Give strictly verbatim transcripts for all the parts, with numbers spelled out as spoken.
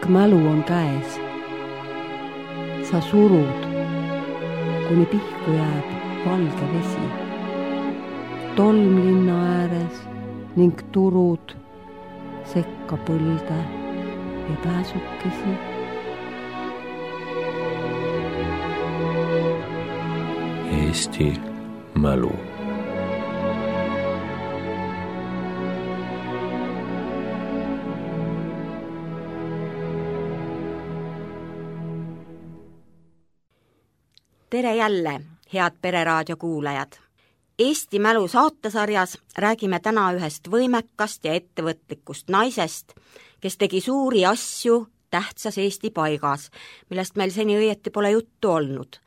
mälu on käes. Sa surud, kuni pihku jääb valge vesi. Tolm linna ääres ning turud sekka põlde ja pääsukesi. Eesti mälu. Tere jälle, head Pereraadio kuulajad! Eesti mälu saatesarjas räägime täna ühest võimekast ja ettevõtlikust naisest, kes tegi suuri asju tähtsas Eesti paigas, millest meil seni õieti pole juttu olnud.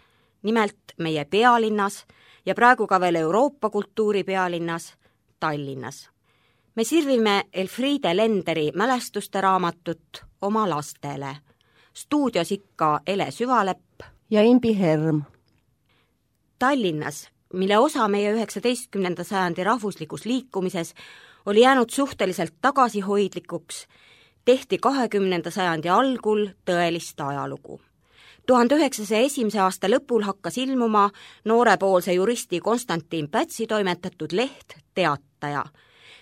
Nimelt meie pealinnas ja praegu ka veel Euroopa kultuuri pealinnas Tallinnas. Me sirvime Elfriede Lenderi mälestuste raamatut oma lastele. Stuudios ikka Ele Süvalepp ja Imbi Herm. Tallinnas, mille osa meie üheksateistkümnenda sajandi rahvuslikus liikumises oli jäänud suhteliselt tagasihoidlikuks, tehti kahekümnenda sajandi algul tõelist ajalugu. tuhande üheksasaja esimese aasta lõpul hakkas ilmuma noorepoolse juristi Konstantin Pätsi toimetatud leht Teataja,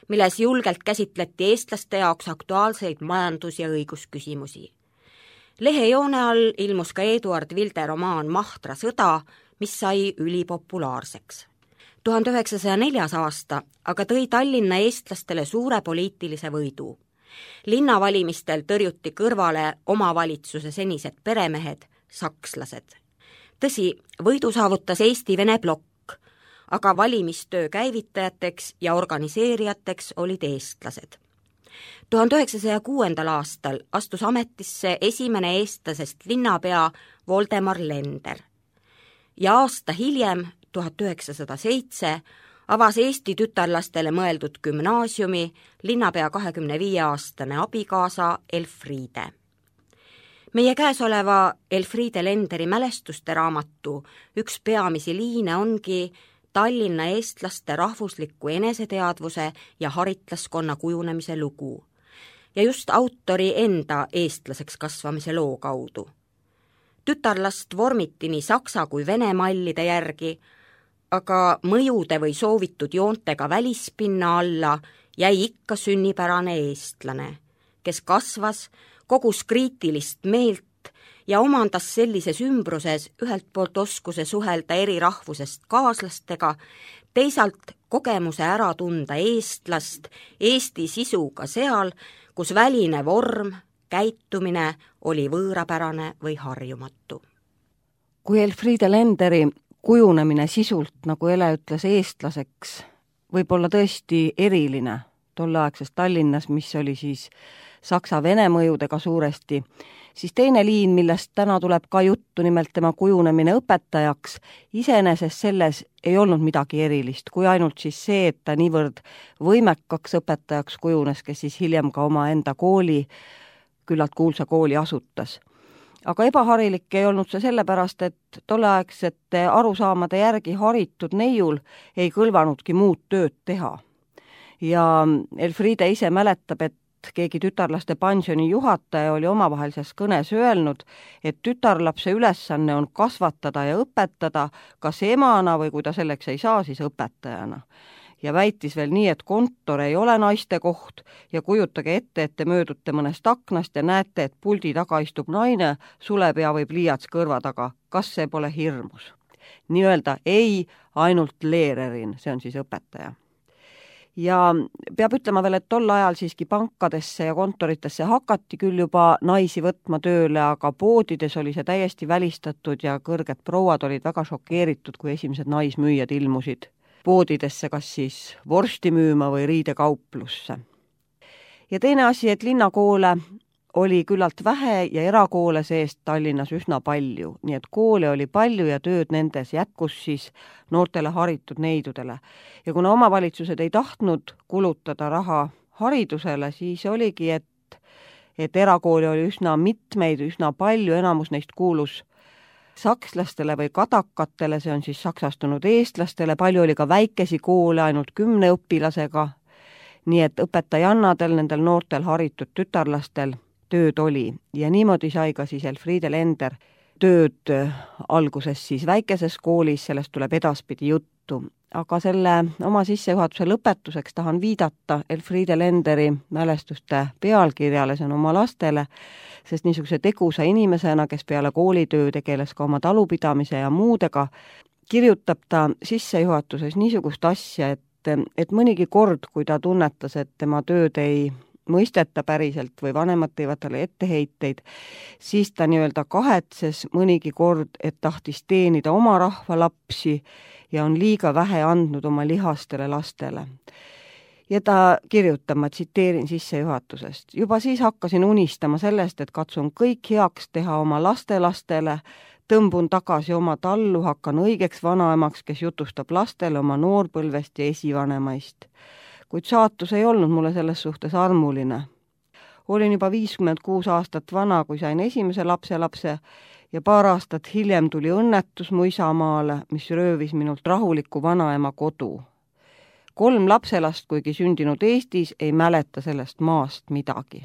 milles julgelt käsitleti eestlaste jaoks aktuaalseid majandus- ja õigusküsimusi. Lehe joone all ilmus ka Eduard Vilde romaan Mahtra sõda, mis sai ülipopulaarseks. tuhande üheksasaja neljas aasta aga tõi Tallinna eestlastele suure poliitilise võidu. Linnavalimistel tõrjuti kõrvale omavalitsuse senised peremehed, sakslased. Tõsi, võidu saavutas Eesti-Vene plokk, aga valimistöö käivitajateks ja organiseerijateks olid eestlased. tuhande üheksasaja kuuendal aastal astus ametisse esimene eestlasest linnapea Voldemar Lender. Ja aasta hiljem, tuhat üheksasada seitse, avas Eesti tütarlastele mõeldud gümnaasiumi linnapea kahekümne viie aastane abikaasa Elfriede. Meie käesoleva Elfriede Lenderi mälestuste raamatu üks peamisi liine ongi Tallinna eestlaste rahvusliku eneseteadvuse ja haritlaskonna kujunemise lugu. Ja just autori enda eestlaseks kasvamise loo kaudu. Tütarlast vormiti nii saksa kui vene mallide järgi, aga mõjude või soovitud joontega välispinna alla jäi ikka sünnipärane eestlane, kes kasvas, kogus kriitilist meelt ja omandas sellises ümbruses ühelt poolt oskuse suhelda eri rahvusest kaaslastega, teisalt kogemuse ära tunda eestlast, Eesti sisuga seal, kus väline vorm, käitumine oli võõrapärane või harjumatu. Kui Elfriede Lenderi kujunemine sisult, nagu Ele ütles, eestlaseks, võib olla tõesti eriline tolleaegses Tallinnas, mis oli siis saksa-vene mõjudega suuresti, siis teine liin, millest täna tuleb ka juttu, nimelt tema kujunemine õpetajaks, iseenesest selles ei olnud midagi erilist, kui ainult siis see, et ta niivõrd võimekaks õpetajaks kujunes, kes siis hiljem ka oma enda kooli, küllalt kuulsa kooli asutas. Aga ebaharilik ei olnud see sellepärast, et tolleaegsete arusaamade järgi haritud neiul ei kõlvanudki muud tööd teha. Ja Elfriede ise mäletab, et keegi tütarlaste pensioni juhataja oli omavahelises kõnes öelnud, et tütarlapse ülesanne on kasvatada ja õpetada kas emana või kui ta selleks ei saa, siis õpetajana. Ja väitis veel nii, et kontor ei ole naiste koht ja kujutage ette, et te möödute mõnest aknast ja näete, et puldi taga istub naine, sulepea või pliiats kõrva taga. Kas see pole hirmus? Nii-öelda ei, ainult leererin, see on siis õpetaja. Ja peab ütlema veel, et tol ajal siiski pankadesse ja kontoritesse hakati küll juba naisi võtma tööle, aga poodides oli see täiesti välistatud ja kõrged prouad olid väga šokeeritud, kui esimesed naismüüjad ilmusid poodidesse, kas siis vorsti müüma või riidekauplusse. Ja teine asi, et linnakoole oli küllalt vähe ja erakoole seest Tallinnas üsna palju, nii et koole oli palju ja tööd nendes jätkus siis noortele haritud neidudele. Ja kuna omavalitsused ei tahtnud kulutada raha haridusele, siis oligi, et, et erakooli oli üsna mitmeid, üsna palju, enamus neist kuulus sakslastele või kadakatele, see on siis saksastunud eestlastele, palju oli ka väikesi koole ainult kümne õpilasega, nii et õpetajannadel, nendel noortel haritud tütarlastel tööd oli ja niimoodi sai ka siis Elfriede Lender tööd alguses siis väikeses koolis, sellest tuleb edaspidi juttu. Aga selle oma sissejuhatuse lõpetuseks tahan viidata Elfriede Lenderi mälestuste pealkirjale, see on oma lastele, sest niisuguse tegusa inimesena, kes peale koolitöö tegeles ka oma talupidamise ja muudega, kirjutab ta sissejuhatuses niisugust asja, et, et mõnigi kord, kui ta tunnetas, et tema tööd ei mõisteta päriselt või vanemad teevad talle etteheiteid, siis ta nii-öelda kahetses mõnigi kord, et tahtis teenida oma rahva lapsi ja on liiga vähe andnud oma lihastele lastele. Ja ta kirjutab, ma tsiteerin sissejuhatusest, juba siis hakkasin unistama sellest, et katsun kõik heaks teha oma lastelastele, tõmbun tagasi oma tallu, hakkan õigeks vanaemaks, kes jutustab lastele oma noorpõlvest ja esivanemaist. Kuid saatus ei olnud mulle selles suhtes armuline. Olin juba viiskümmend kuus aastat vana, kui sain esimese lapse lapse ja paar aastat hiljem tuli õnnetus mu isamaale, mis röövis minult rahuliku vanaema kodu. Kolm lapselast, kuigi sündinud Eestis, ei mäleta sellest maast midagi.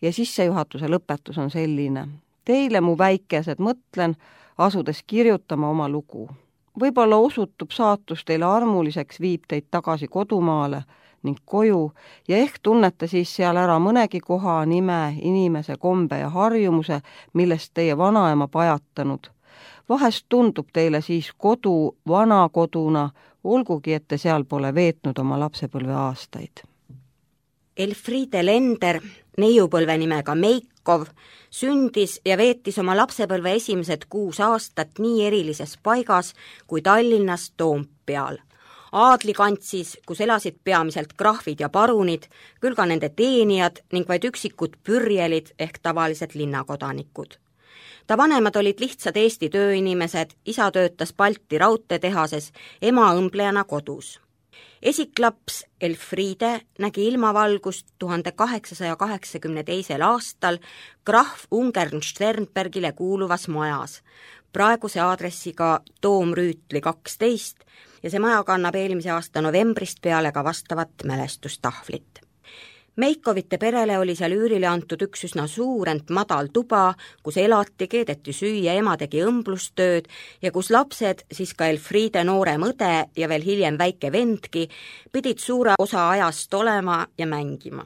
Ja sissejuhatuse lõpetus on selline. Teile, mu väikesed, mõtlen, asudes kirjutama oma lugu. Võib-olla osutub saatus teile armuliseks, viib teid tagasi kodumaale ning koju ja ehk tunnete siis seal ära mõnegi koha, nime, inimese, kombe ja harjumuse, millest teie vanaema pajatanud. Vahest tundub teile siis kodu vana koduna, olgugi, et te seal pole veetnud oma lapsepõlve aastaid. Elfriede Lender, neiupõlve nimega Meikov, sündis ja veetis oma lapsepõlve esimesed kuus aastat nii erilises paigas kui Tallinnas Toompeal. Aadlikantsis, kus elasid peamiselt krahvid ja parunid, küll ka nende teenijad ning vaid üksikud pürjelid ehk tavalised linnakodanikud. Ta vanemad olid lihtsad Eesti tööinimesed, isa töötas Balti raudteetehases, ema õmblejana kodus. Esiklaps Elfriede nägi ilmavalgust tuhande kaheksasaja kaheksakümne teisel aastal krahv Ungern-Sternbergile kuuluvas majas, praeguse aadressiga Toomrüütli kaksteist ja see maja kannab eelmise aasta novembrist peale ka vastavat mälestustahvlit. Meikovite perele oli seal üürile antud üks üsna suur, ent madal tuba, kus elati, keedeti süüa, ema tegi õmblustööd ja kus lapsed, siis ka Elfriede noorem õde ja veel hiljem väike vendki, pidid suure osa ajast olema ja mängima.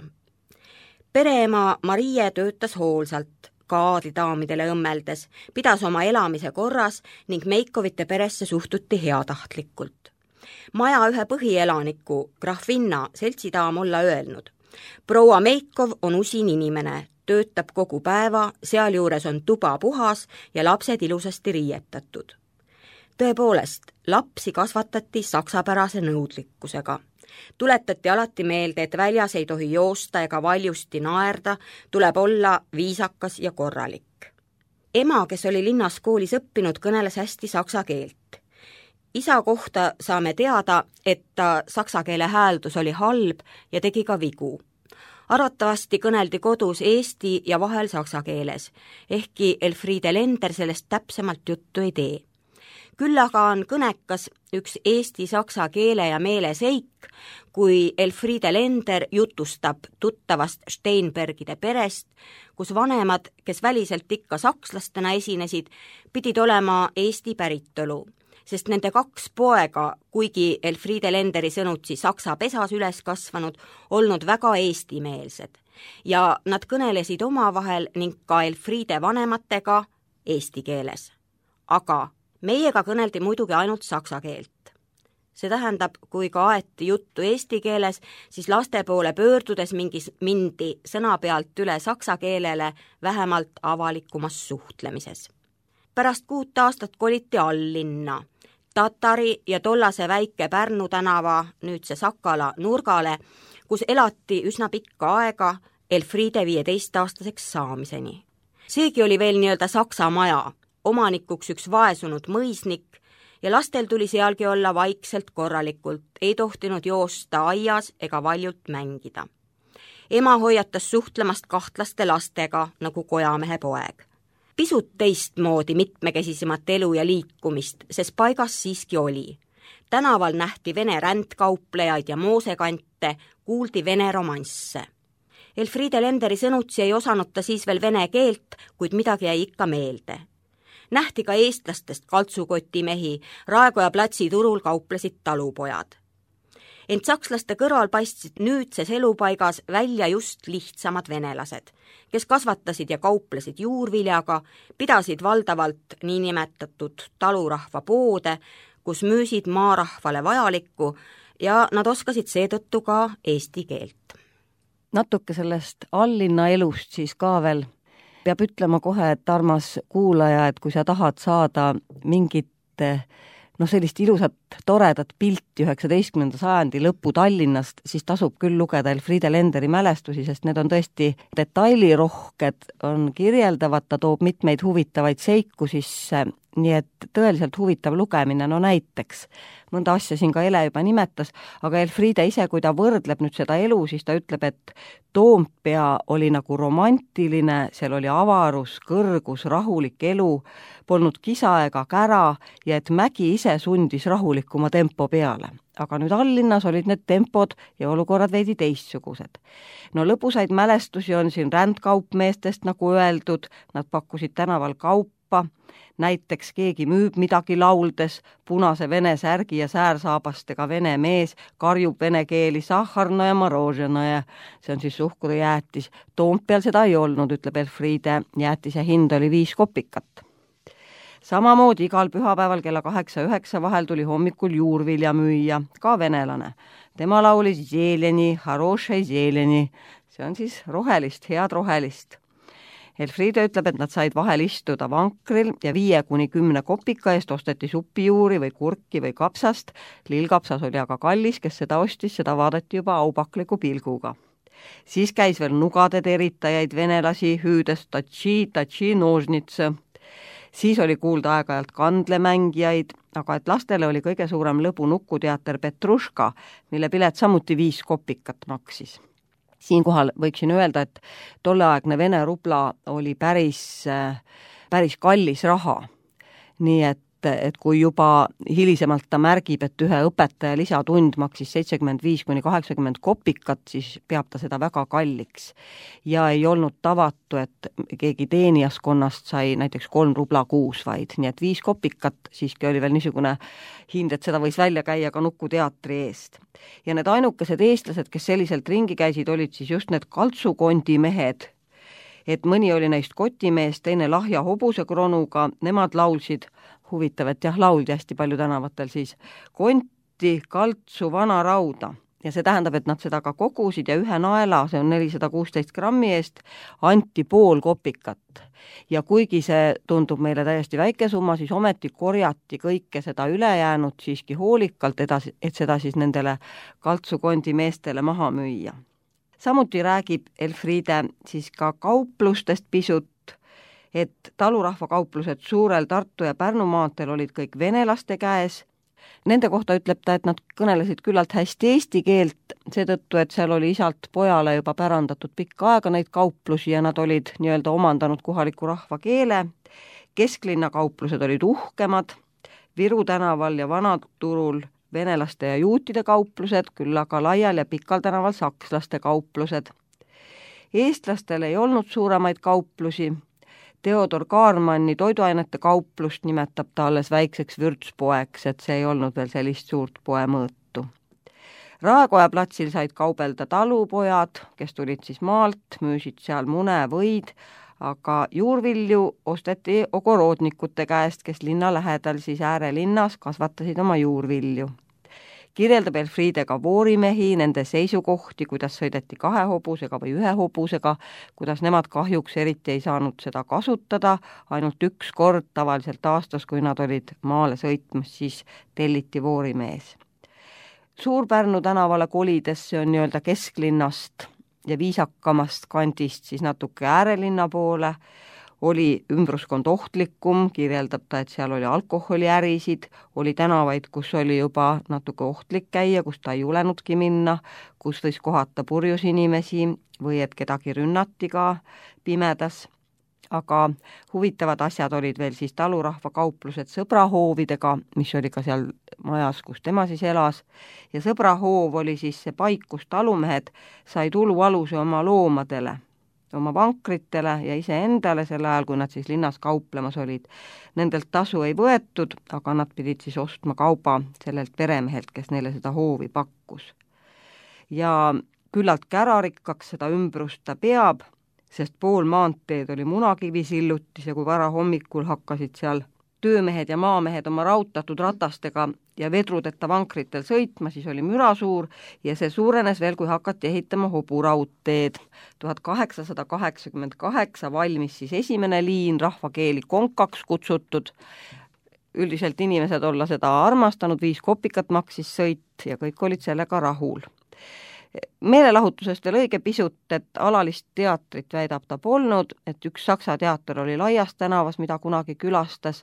Pereema Marie töötas hoolsalt, ka aadlidaamidele õmmeldes, pidas oma elamise korras ning Meikovite peresse suhtuti heatahtlikult. Maja ühe põhielaniku, Grahvinna, seltsidaam olla öelnud: proua Meikov on usin inimene, töötab kogu päeva, sealjuures on tuba puhas ja lapsed ilusasti riietatud. Tõepoolest, lapsi kasvatati saksapärase nõudlikkusega. Tuletati alati meelde, et väljas ei tohi joosta ega valjusti naerda, tuleb olla viisakas ja korralik. Ema, kes oli linnas koolis õppinud, kõneles hästi saksa keelt. Isa kohta saame teada, et ta saksa keele hääldus oli halb ja tegi ka vigu. Arvatavasti kõneldi kodus eesti ja vahel saksa keeles, ehkki Elfriede Lender sellest täpsemalt juttu ei tee. Küll aga on kõnekas üks eesti-saksa keele ja meele seik, kui Elfriede Lender jutustab tuttavast Steinbergide perest, kus vanemad, kes väliselt ikka sakslastena esinesid, pidid olema Eesti päritolu, sest nende kaks poega, kuigi Elfriede Lenderi sõnutsi saksa pesas üles kasvanud, olnud väga eestimeelsed ja nad kõnelesid omavahel ning ka Elfriede vanematega eesti keeles. Aga meiega kõneldi muidugi ainult saksa keelt. See tähendab, kui ka aeti juttu eesti keeles, siis laste poole pöördudes mingis mindi sõna pealt üle saksa keelele vähemalt avalikumas suhtlemises. Pärast kuut aastat koliti alllinna, Tatari ja tollase väike Pärnu tänava, nüüd see Sakala nurgale, kus elati üsna pikka aega Elfriede viieteist-aastaseks saamiseni. Seegi oli veel nii-öelda saksa maja, omanikuks üks vaesunud mõisnik ja lastel tuli sealgi olla vaikselt korralikult, ei tohtinud joosta aias ega valjult mängida. Ema hoiatas suhtlemast kahtlaste lastega nagu kojamehe poeg. Pisut teistmoodi mitmekesisemat elu ja liikumist, sest paigas siiski oli. Tänaval nähti vene rändkauplejaid ja moosekante, kuuldi vene romansse. Elfriede Lenderi sõnutsi ei osanud ta siis veel vene keelt, kuid midagi jäi ikka meelde. Nähti ka eestlastest kaltsukotimehi, Raekoja platsi turul kauplesid talupojad. Ent sakslaste kõrval paistsid nüüdses elupaigas välja just lihtsamad venelased, kes kasvatasid ja kauplesid juurviljaga, pidasid valdavalt niinimetatud talurahva poode, kus müüsid maarahvale vajalikku ja nad oskasid seetõttu ka eesti keelt. Natuke sellest alllinna elust siis ka veel peab ütlema kohe, et armas kuulaja, et kui sa tahad saada mingit noh, sellist ilusat, toredat pilti üheksateistkümnenda sajandi lõpu Tallinnast, siis tasub küll lugeda Elfriede Lenderi mälestusi, sest need on tõesti detailirohked, on kirjeldavad, ta toob mitmeid huvitavaid seiku sisse, nii et tõeliselt huvitav lugemine, no näiteks mõnda asja siin ka Ele juba nimetas, aga Elfriede ise, kui ta võrdleb nüüd seda elu, siis ta ütleb, et Toompea oli nagu romantiline, seal oli avarus, kõrgus, rahulik elu, polnud kisa ega kära ja et Mägi ise sundis rahulikuma tempo peale. Aga nüüd alllinnas olid need tempod ja olukorrad veidi teistsugused. No lõbusaid mälestusi on siin rändkaupmeestest, nagu öeldud, nad pakkusid tänaval kaupa, näiteks keegi müüb midagi lauldes, punase vene särgi ja säärsaabastega vene mees karjub vene keeli sahharno ja moroženo ja see on siis suhkrujäätis. Toompeal seda ei olnud, ütleb Elfriede, jäätise hind oli viis kopikat. Samamoodi igal pühapäeval kella kaheksa üheksa vahel tuli hommikul juurvilja müüa, ka venelane. Tema laulis zeleni, harošai zeleni, see on siis rohelist, head rohelist. Elfriede ütleb, et nad said vahel istuda vankril ja viie kuni kümne kopika eest osteti supijuuri või kurki või kapsast. Lillkapsas oli aga kallis, kes seda ostis, seda vaadati juba aupakliku pilguga. Siis käis veel nugade teritajaid venelasi hüüdes tatši, tatši, nožnitse. Siis oli kuulda aeg-ajalt kandlemängijaid, aga et lastele oli kõige suurem lõbu nukuteater Petruška, mille pilet samuti viis kopikat maksis. Siinkohal võiksin öelda, et tolleaegne vene rubla oli päris, päris kallis raha. Nii et, et kui juba hilisemalt ta märgib, et ühe õpetaja lisatund maksis seitsekümmend viis kuni kaheksakümmend kopikat, siis peab ta seda väga kalliks. Ja ei olnud tavatu, et keegi teenijaskonnast sai näiteks kolm rubla kuus vaid, nii et viis kopikat siiski oli veel niisugune hind, et seda võis välja käia ka nukuteatri eest. Ja need ainukesed eestlased, kes selliselt ringi käisid, olid siis just need kaltsukondimehed, et mõni oli neist kotimees, teine lahja hobuse kronuga, nemad laulsid, huvitav, et jah, lauldi hästi palju tänavatel siis, konti, kaltsu, vana rauda. Ja see tähendab, et nad seda ka kogusid ja ühe naela, see on nelisada kuusteist grammi eest, anti pool kopikat. Ja kuigi see tundub meile täiesti väike summa, siis ometi korjati kõike seda ülejäänud siiski hoolikalt edasi, et seda siis nendele kaltsukondi meestele maha müüa. Samuti räägib Elfriede siis ka kauplustest pisut, et talurahvakauplused suurel Tartu ja Pärnu maanteel olid kõik venelaste käes. Nende kohta ütleb ta, et nad kõnelesid küllalt hästi eesti keelt, seetõttu, et seal oli isalt pojale juba pärandatud pikka aega neid kauplusi ja nad olid nii-öelda omandanud kohaliku rahva keele. Kesklinna kauplused olid uhkemad, Viru tänaval ja Vanaturul venelaste ja juutide kauplused, küll aga laial ja pikal tänaval sakslaste kauplused. Eestlastel ei olnud suuremaid kauplusi. Theodor Kaarmanni toiduainete kauplust nimetab ta alles väikseks vürtspoeks, et see ei olnud veel sellist suurt poe mõõtu. Raekoja platsil said kaubelda talupojad, kes tulid siis maalt, müüsid seal mune, võid, aga juurvilju osteti ogorodnikute käest, kes linna lähedal siis äärelinnas kasvatasid oma juurvilju. Kirjeldab Elfriede ka voorimehi, nende seisukohti, kuidas sõideti kahe hobusega või ühe hobusega, kuidas nemad kahjuks eriti ei saanud seda kasutada, ainult üks kord tavaliselt aastas, kui nad olid maale sõitmas, siis telliti voorimees. Suur-Pärnu tänavale kolides, see on nii-öelda kesklinnast ja viisakamast kandist siis natuke äärelinna poole, oli ümbruskond ohtlikum, kirjeldab ta, et seal oli alkoholiärisid, oli tänavaid, kus oli juba natuke ohtlik käia, kus ta ei julenudki minna, kus võis kohata purjus inimesi või et kedagi rünnati ka pimedas. aga huvitavad asjad olid veel siis talurahva kauplused sõbrahoovidega, mis oli ka seal majas, kus tema siis elas, ja sõbrahoov oli siis see paik, kus talumehed sai tulualuse oma loomadele, oma vankritele ja iseendale sel ajal, kui nad siis linnas kauplemas olid. Nendelt tasu ei võetud, aga nad pidid siis ostma kauba sellelt peremehelt, kes neile seda hoovi pakkus. Ja küllalt kärarikkaks seda ümbrust ta peab, sest pool maanteed oli munakivi sillutis ja kui vara hommikul hakkasid seal töömehed ja maamehed oma rautatud ratastega ja vedrudeta vankritel sõitma, siis oli müra suur ja see suurenes veel, kui hakati ehitama hoburaudteed. tuhat kaheksasada kaheksakümmend kaheksa valmis siis esimene liin, rahvakeeli konkaks kutsutud. Üldiselt inimesed olla seda armastanud, viis kopikat maksis sõit ja kõik olid sellega rahul. Meelelahutusest veel õige pisut, et alalist teatrit väidab ta polnud, et üks saksa teater oli Laias tänavas, mida kunagi külastas,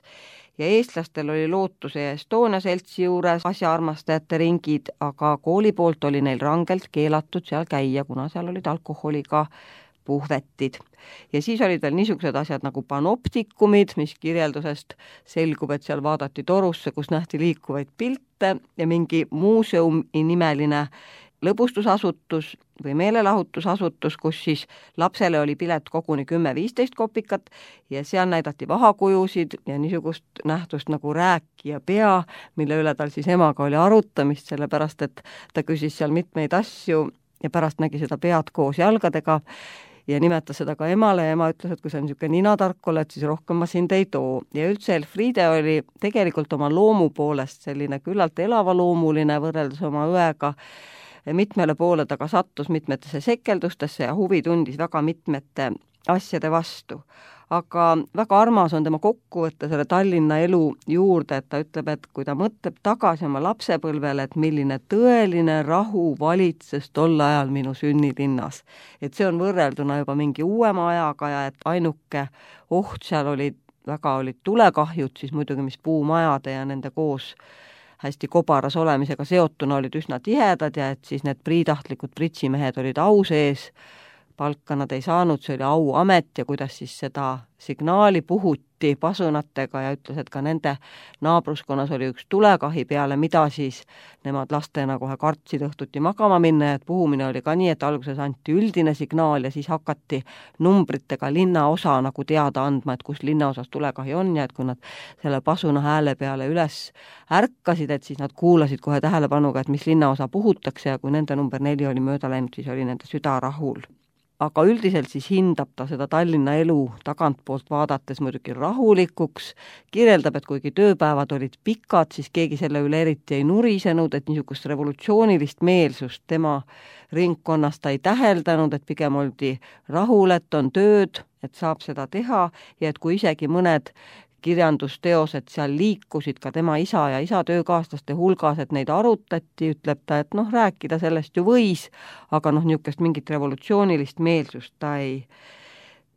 ja eestlastel oli Lootuse ja Estonia seltsi juures asjaarmastajate ringid, aga kooli poolt oli neil rangelt keelatud seal käia, kuna seal olid alkoholiga puhvetid. Ja siis olid veel niisugused asjad nagu panoptikumid, mis kirjeldusest selgub, et seal vaadati torusse, kus nähti liikuvaid pilte ja mingi muuseum nimeline lõbustusasutus või meelelahutusasutus, kus siis lapsele oli pilet koguni kümme viisteist kopikat ja seal näidati vahakujusid ja niisugust nähtust nagu rääkija pea, mille üle tal siis emaga oli arutamist, sellepärast et ta küsis seal mitmeid asju ja pärast nägi seda pead koos jalgadega ja nimetas seda ka emale ja ema ütles, et kui sa niisugune ninatark oled, siis rohkem ma sind ei too. Ja üldse Elfriede oli tegelikult oma loomu poolest selline küllalt elavaloumuline võrreldes oma õega, mitmele poole taga sattus mitmetesse sekeldustesse ja huvi tundis väga mitmete asjade vastu. Aga väga armas on tema kokkuvõtte selle Tallinna elu juurde, et ta ütleb, et kui ta mõtleb tagasi oma lapsepõlvele, et milline tõeline rahu valitses tol ajal minu sünnilinnas. Et see on võrrelduna juba mingi uuema ajaga ja et ainuke oht seal olid, väga olid tulekahjud, siis muidugi mis puumajade ja nende koos hästi kobaras olemisega seotuna olid üsna tihedad ja et siis need priitahtlikud pritsimehed olid au sees, palka nad ei saanud, see oli auamet ja kuidas siis seda signaali puhuti pasunatega ja ütles, et ka nende naabruskonnas oli üks tulekahi peale, mida siis nemad lastena kohe kartsid õhtuti magama minna ja et puhumine oli ka nii, et alguses anti üldine signaal ja siis hakati numbritega linnaosa nagu teada andma, et kus linnaosas tulekahi on ja et kui nad selle pasuna hääle peale üles ärkasid, et siis nad kuulasid kohe tähelepanuga, et mis linnaosa puhutakse ja kui nende number neli oli mööda läinud, siis oli nende süda rahul. Aga üldiselt siis hindab ta seda Tallinna elu tagantpoolt vaadates muidugi rahulikuks, kirjeldab, et kuigi tööpäevad olid pikad, siis keegi selle üle eriti ei nurisenud, et niisugust revolutsioonilist meelsust tema ringkonnas ta ei täheldanud, et pigem oldi rahul, et on tööd, et saab seda teha ja et kui isegi mõned kirjandusteosed seal liikusid ka tema isa ja isa töökaaslaste hulgas, et neid arutati, ütleb ta, et noh, rääkida sellest ju võis, aga noh, niisugust mingit revolutsioonilist meelsust ta ei,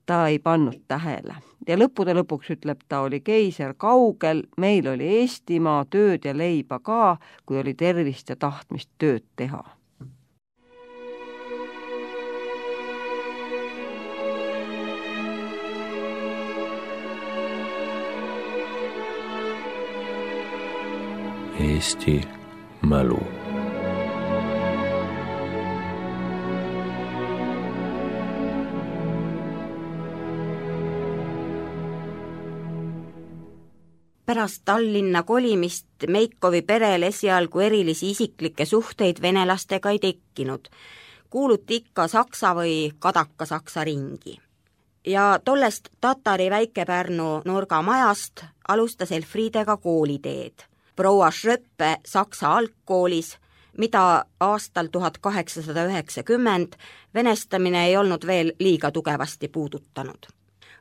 ta ei pannud tähele. Ja lõppude lõpuks ütleb ta, oli keiser kaugel, meil oli Eestimaa, tööd ja leiba ka, kui oli tervist ja tahtmist tööd teha. Eesti mälu. Pärast Tallinna kolimist Meikovi perel esialgu erilisi isiklikke suhteid venelastega ei tekkinud. Kuuluti ikka saksa või kadaka saksa ringi. Ja tollest Tatari Väike-Pärnu nurgamajast alustas Elfriedega kooliteed. Proua Schröppe Saksa algkoolis, mida aastal tuhat kaheksasada üheksakümmend venestamine ei olnud veel liiga tugevasti puudutanud.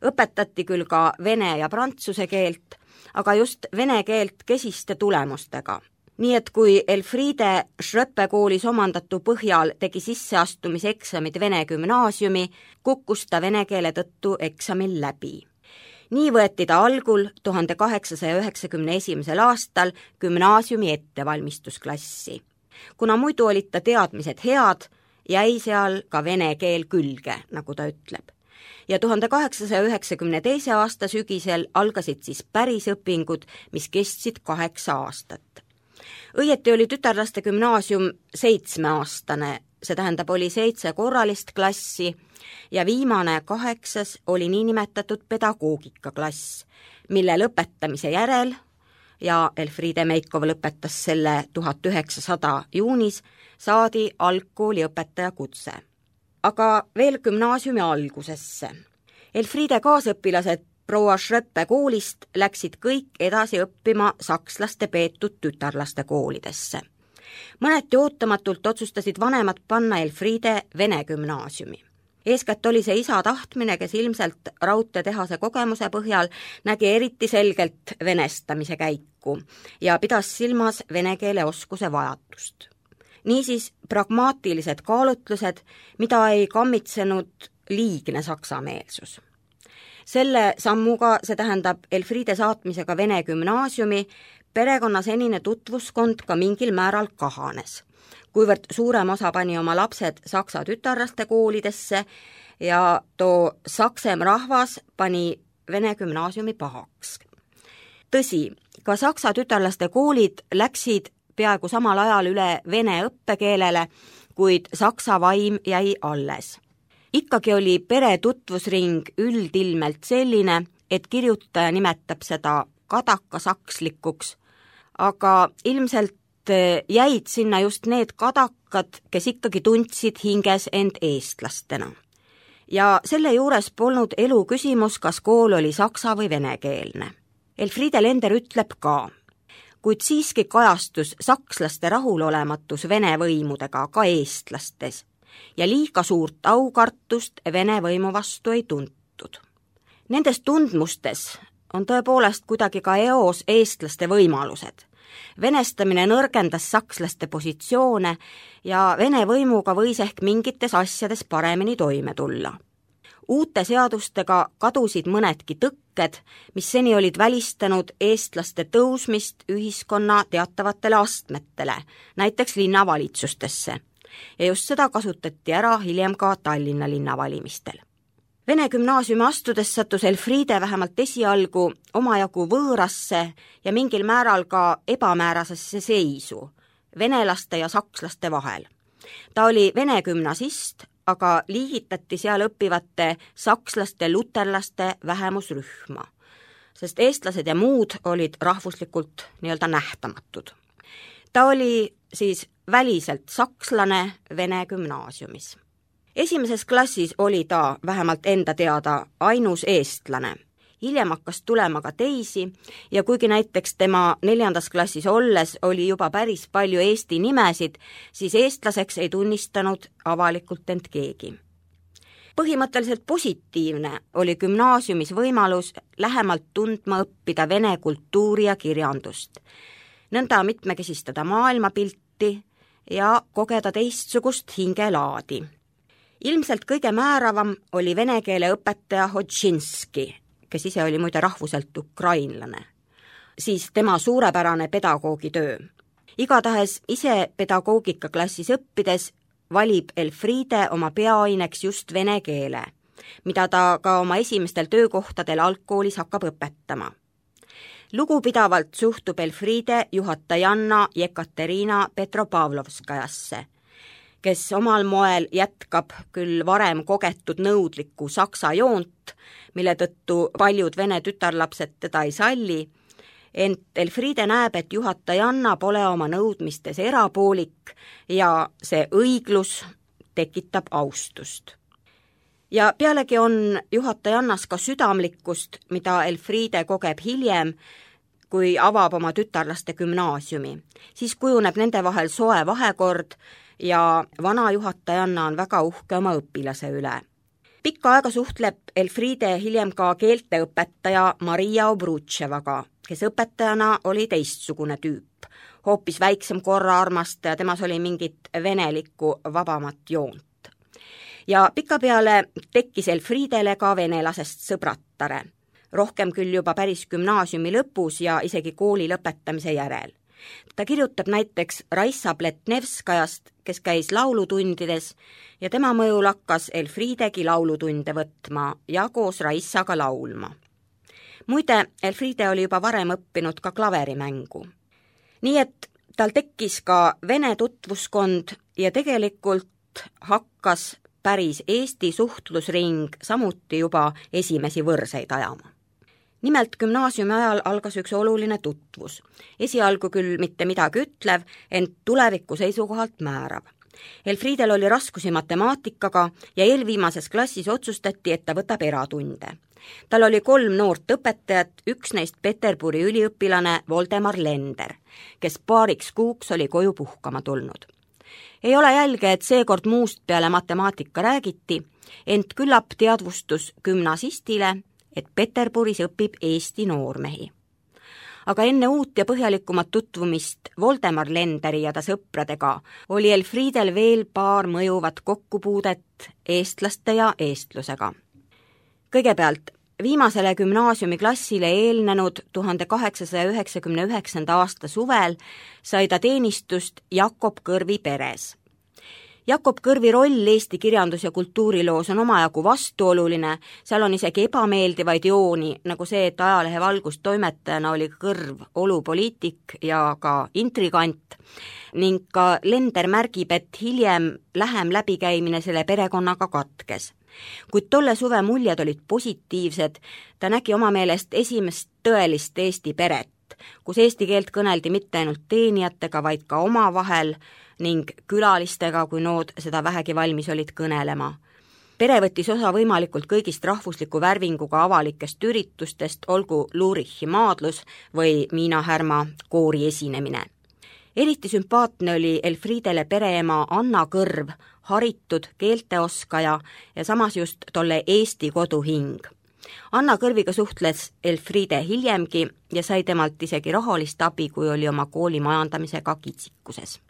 Õpetati küll ka vene ja prantsuse keelt, aga just vene keelt kesiste tulemustega. Nii et kui Elfriede Schröppe koolis omandatu põhjal tegi sisseastumiseksamid vene gümnaasiumi, kukkus ta vene keele tõttu eksamil läbi. Nii võeti ta algul tuhande kaheksasaja üheksakümne esimesel aastal gümnaasiumi ettevalmistusklassi. Kuna muidu olid ta teadmised head, jäi seal ka vene keel külge, nagu ta ütleb. ja tuhande kaheksasaja üheksakümne teise aasta sügisel algasid siis pärisõpingud, mis kestsid kaheksa aastat. Õieti oli tütarlaste gümnaasium seitsmeaastane, see tähendab, oli seitse korralist klassi ja viimane kaheksas oli niinimetatud pedagoogikaklass, mille lõpetamise järel, ja Elfriede Meikov lõpetas selle tuhat üheksasada juunis, saadi algkooli õpetaja kutse. Aga veel gümnaasiumi algusesse. Elfriede kaasõpilased proua Schröppe koolist läksid kõik edasi õppima sakslaste peetud tütarlaste koolidesse. Mõneti ootamatult otsustasid vanemad panna Elfriede vene gümnaasiumi. Eeskätt oli see isa tahtmine, kes ilmselt raudteetehase kogemuse põhjal nägi eriti selgelt venestamise käiku ja pidas silmas vene keele oskuse vajadust. Niisiis pragmaatilised kaalutlused, mida ei kammitsenud liigne saksameelsus. Selle sammuga, see tähendab Elfriede saatmisega vene gümnaasiumi, perekonna senine tutvuskond ka mingil määral kahanes, kuivõrd suurem osa pani oma lapsed saksa tütarlaste koolidesse ja too saksem rahvas pani vene gümnaasiumi pahaks. Tõsi, ka saksa tütarlaste koolid läksid peaaegu samal ajal üle vene õppekeelele, kuid saksa vaim jäi alles. Ikkagi oli pere tutvusring üldilmelt selline, et kirjutaja nimetab seda kadakasakslikuks, aga ilmselt jäid sinna just need kadakad, kes ikkagi tundsid hinges end eestlastena. Ja selle juures polnud elu küsimus, kas kool oli saksa või venekeelne. Elfriede Lender ütleb ka, kuid siiski kajastus sakslaste rahulolematus vene võimudega ka eestlastes ja liiga suurt aukartust vene võimu vastu ei tuntud. Nendes tundmustes on tõepoolest kuidagi ka eos eestlaste võimalused. Venestamine nõrgendas sakslaste positsioone ja vene võimuga võis ehk mingites asjades paremini toime tulla. Uute seadustega kadusid mõnedki tõkked, mis seni olid välistanud eestlaste tõusmist ühiskonna teatavatele astmetele, näiteks linnavalitsustesse. Ja just seda kasutati ära hiljem ka Tallinna linnavalimistel. Vene gümnaasiumi astudes sattus Elfriede vähemalt esialgu omajagu võõrasse ja mingil määral ka ebamäärasesse seisu venelaste ja sakslaste vahel. Ta oli vene gümnasist, aga liigitati seal õppivate sakslaste luterlaste vähemusrühma, sest eestlased ja muud olid rahvuslikult nii-öelda nähtamatud. Ta oli siis väliselt sakslane vene gümnaasiumis. Esimeses klassis oli ta vähemalt enda teada ainus eestlane. Hiljem hakkas tulema ka teisi ja kuigi näiteks tema neljandas klassis olles oli juba päris palju eesti nimesid, siis eestlaseks ei tunnistanud avalikult end keegi. Põhimõtteliselt positiivne oli gümnaasiumis võimalus lähemalt tundma õppida vene kultuuri ja kirjandust, nõnda mitmekesistada maailmapilti ja kogeda teistsugust hingelaadi. Ilmselt kõige määravam oli vene keele õpetaja Hodžinski, kes ise oli muide rahvuselt ukrainlane, siis tema suurepärane pedagoogitöö. Igatahes ise pedagoogikaklassis õppides valib Elfriede oma peaaineks just vene keele, mida ta ka oma esimestel töökohtadel algkoolis hakkab õpetama. Lugupidavalt suhtub Elfriede juhatajanna Jekaterina Petropavlovskajasse, kes omal moel jätkab küll varem kogetud nõudlikku saksa joont, mille tõttu paljud vene tütarlapsed teda ei salli, ent Elfriede näeb, et juhatajanna pole oma nõudmistes erapoolik ja see õiglus tekitab austust. Ja pealegi on juhatajannas ka südamlikkust, mida Elfriede kogeb hiljem, kui avab oma tütarlaste gümnaasiumi. Siis kujuneb nende vahel soe vahekord ja vana juhatajanna on väga uhke oma õpilase üle. Pikka aega suhtleb Elfriede hiljem ka keelteõpetaja Maria Obrutševaga, kes õpetajana oli teistsugune tüüp, hoopis väiksem korraarmastaja, temas oli mingit venelikku vabamat joont. Ja pikapeale tekkis Elfriedele ka venelasest sõbrattare, rohkem küll juba päris gümnaasiumi lõpus ja isegi kooli lõpetamise järel. ta kirjutab näiteks Raissa Pletnevskajast, kes käis laulutundides ja tema mõjul hakkas Elfriidegi laulutunde võtma ja koos Raissaga laulma. Muide, Elfriede oli juba varem õppinud ka klaverimängu. Nii et tal tekkis ka vene tutvuskond ja tegelikult hakkas päris Eesti suhtlusring samuti juba esimesi võrseid ajama. Nimelt gümnaasiumi ajal algas üks oluline tutvus. Esialgu küll mitte midagi ütlev, ent tuleviku seisukohalt määrav. Elfriedel oli raskusi matemaatikaga ja eelviimases klassis otsustati, et ta võtab eratunde. Tal oli kolm noort õpetajat, üks neist Peterburi üliõpilane Voldemar Lender, kes paariks kuuks oli koju puhkama tulnud. Ei ole jälge, et seekord muust peale matemaatika räägiti, ent küllap teadvustus gümnasistile, et Peterburis õpib Eesti noormehi. Aga enne uut ja põhjalikumat tutvumist Voldemar Lenderi ja ta sõpradega oli Elfriedel veel paar mõjuvat kokkupuudet eestlaste ja eestlusega. Kõigepealt, viimasele gümnaasiumiklassile eelnenud tuhande kaheksasaja üheksakümne üheksanda aasta suvel sai ta teenistust Jakob Kõrvi peres. Jakob Kõrvi roll Eesti kirjandus- ja kultuuriloos on omajagu vastuoluline, seal on isegi ebameeldivaid jooni, nagu see, et ajalehe valgustoimetajana oli Kõrv olupoliitik ja ka intrigant, ning ka Lender märgib, et hiljem lähem läbikäimine selle perekonnaga katkes. Kuid tolle suve muljed olid positiivsed, ta nägi oma meelest esimest tõelist Eesti peret, kus eesti keelt kõneldi mitte ainult teenijatega, vaid ka omavahel ning külalistega, kui nood seda vähegi valmis olid kõnelema. Pere võttis osa võimalikult kõigist rahvusliku värvinguga avalikest üritustest, olgu Lurichi maadlus või Miina Härma koori esinemine. Eriti sümpaatne oli Elfriedele pereema Anna Kõrv, haritud keelteoskaja ja samas just tolle Eesti koduhing. Anna Kõrviga suhtles Elfriede hiljemgi ja sai temalt isegi rahalist abi, kui oli oma kooli majandamisega kitsikuses.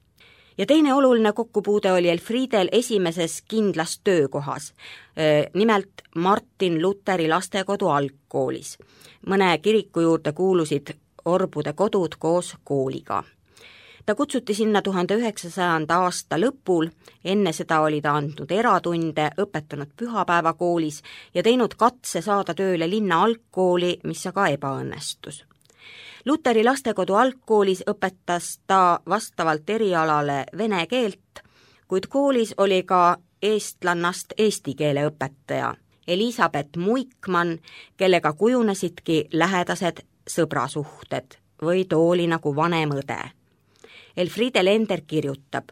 Ja teine oluline kokkupuude oli Elfriedel esimeses kindlas töökohas, nimelt Martin Luteri lastekodu algkoolis. Mõne kiriku juurde kuulusid orbude kodud koos kooliga. Ta kutsuti sinna tuhande üheksasajanda aasta lõpul, enne seda oli ta andnud eratunde, õpetanud pühapäevakoolis ja teinud katse saada tööle linna algkooli, mis aga ebaõnnestus. Luteri lastekodu algkoolis õpetas ta vastavalt erialale vene keelt, kuid koolis oli ka eestlannast eesti keele õpetaja Elisabeth Muikmann, kellega kujunesidki lähedased sõbrasuhted või tooli nagu vanem õde. Elfriede Lender kirjutab,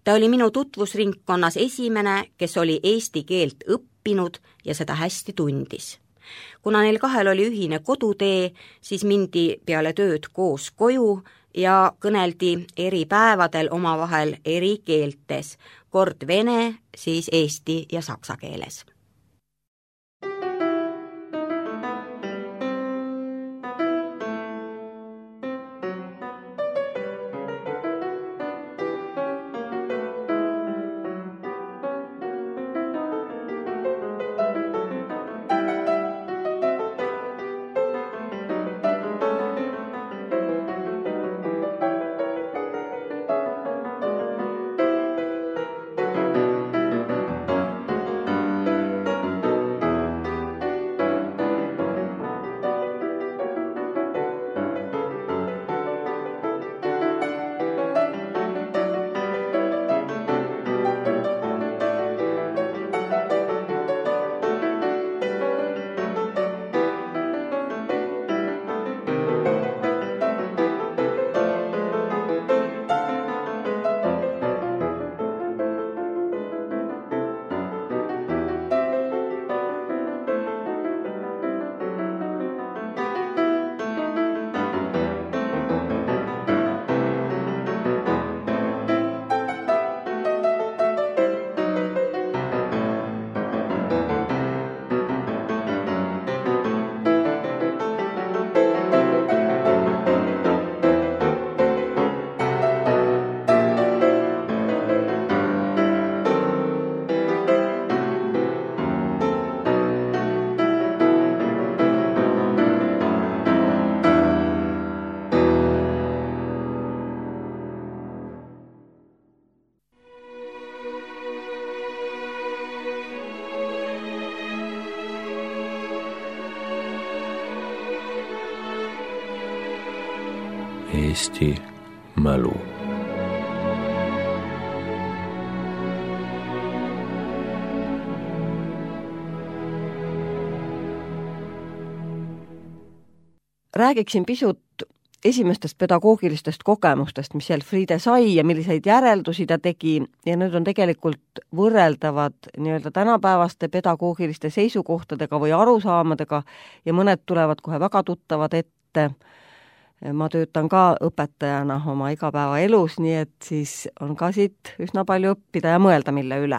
ta oli minu tutvusringkonnas esimene, kes oli eesti keelt õppinud ja seda hästi tundis. Kuna neil kahel oli ühine kodutee, siis mindi peale tööd koos koju ja kõneldi eri päevadel omavahel eri keeltes, kord vene, siis eesti ja saksa keeles. Eesti mälu. Räägiksin pisut esimestest pedagoogilistest kogemustest, mis Elfriede sai ja milliseid järeldusi ta tegi ja need on tegelikult võrreldavad nii-öelda tänapäevaste pedagoogiliste seisukohtadega või arusaamadega ja mõned tulevad kohe väga tuttavad ette. Ma töötan ka õpetajana oma igapäevaelus, nii et siis on ka siit üsna palju õppida ja mõelda mille üle.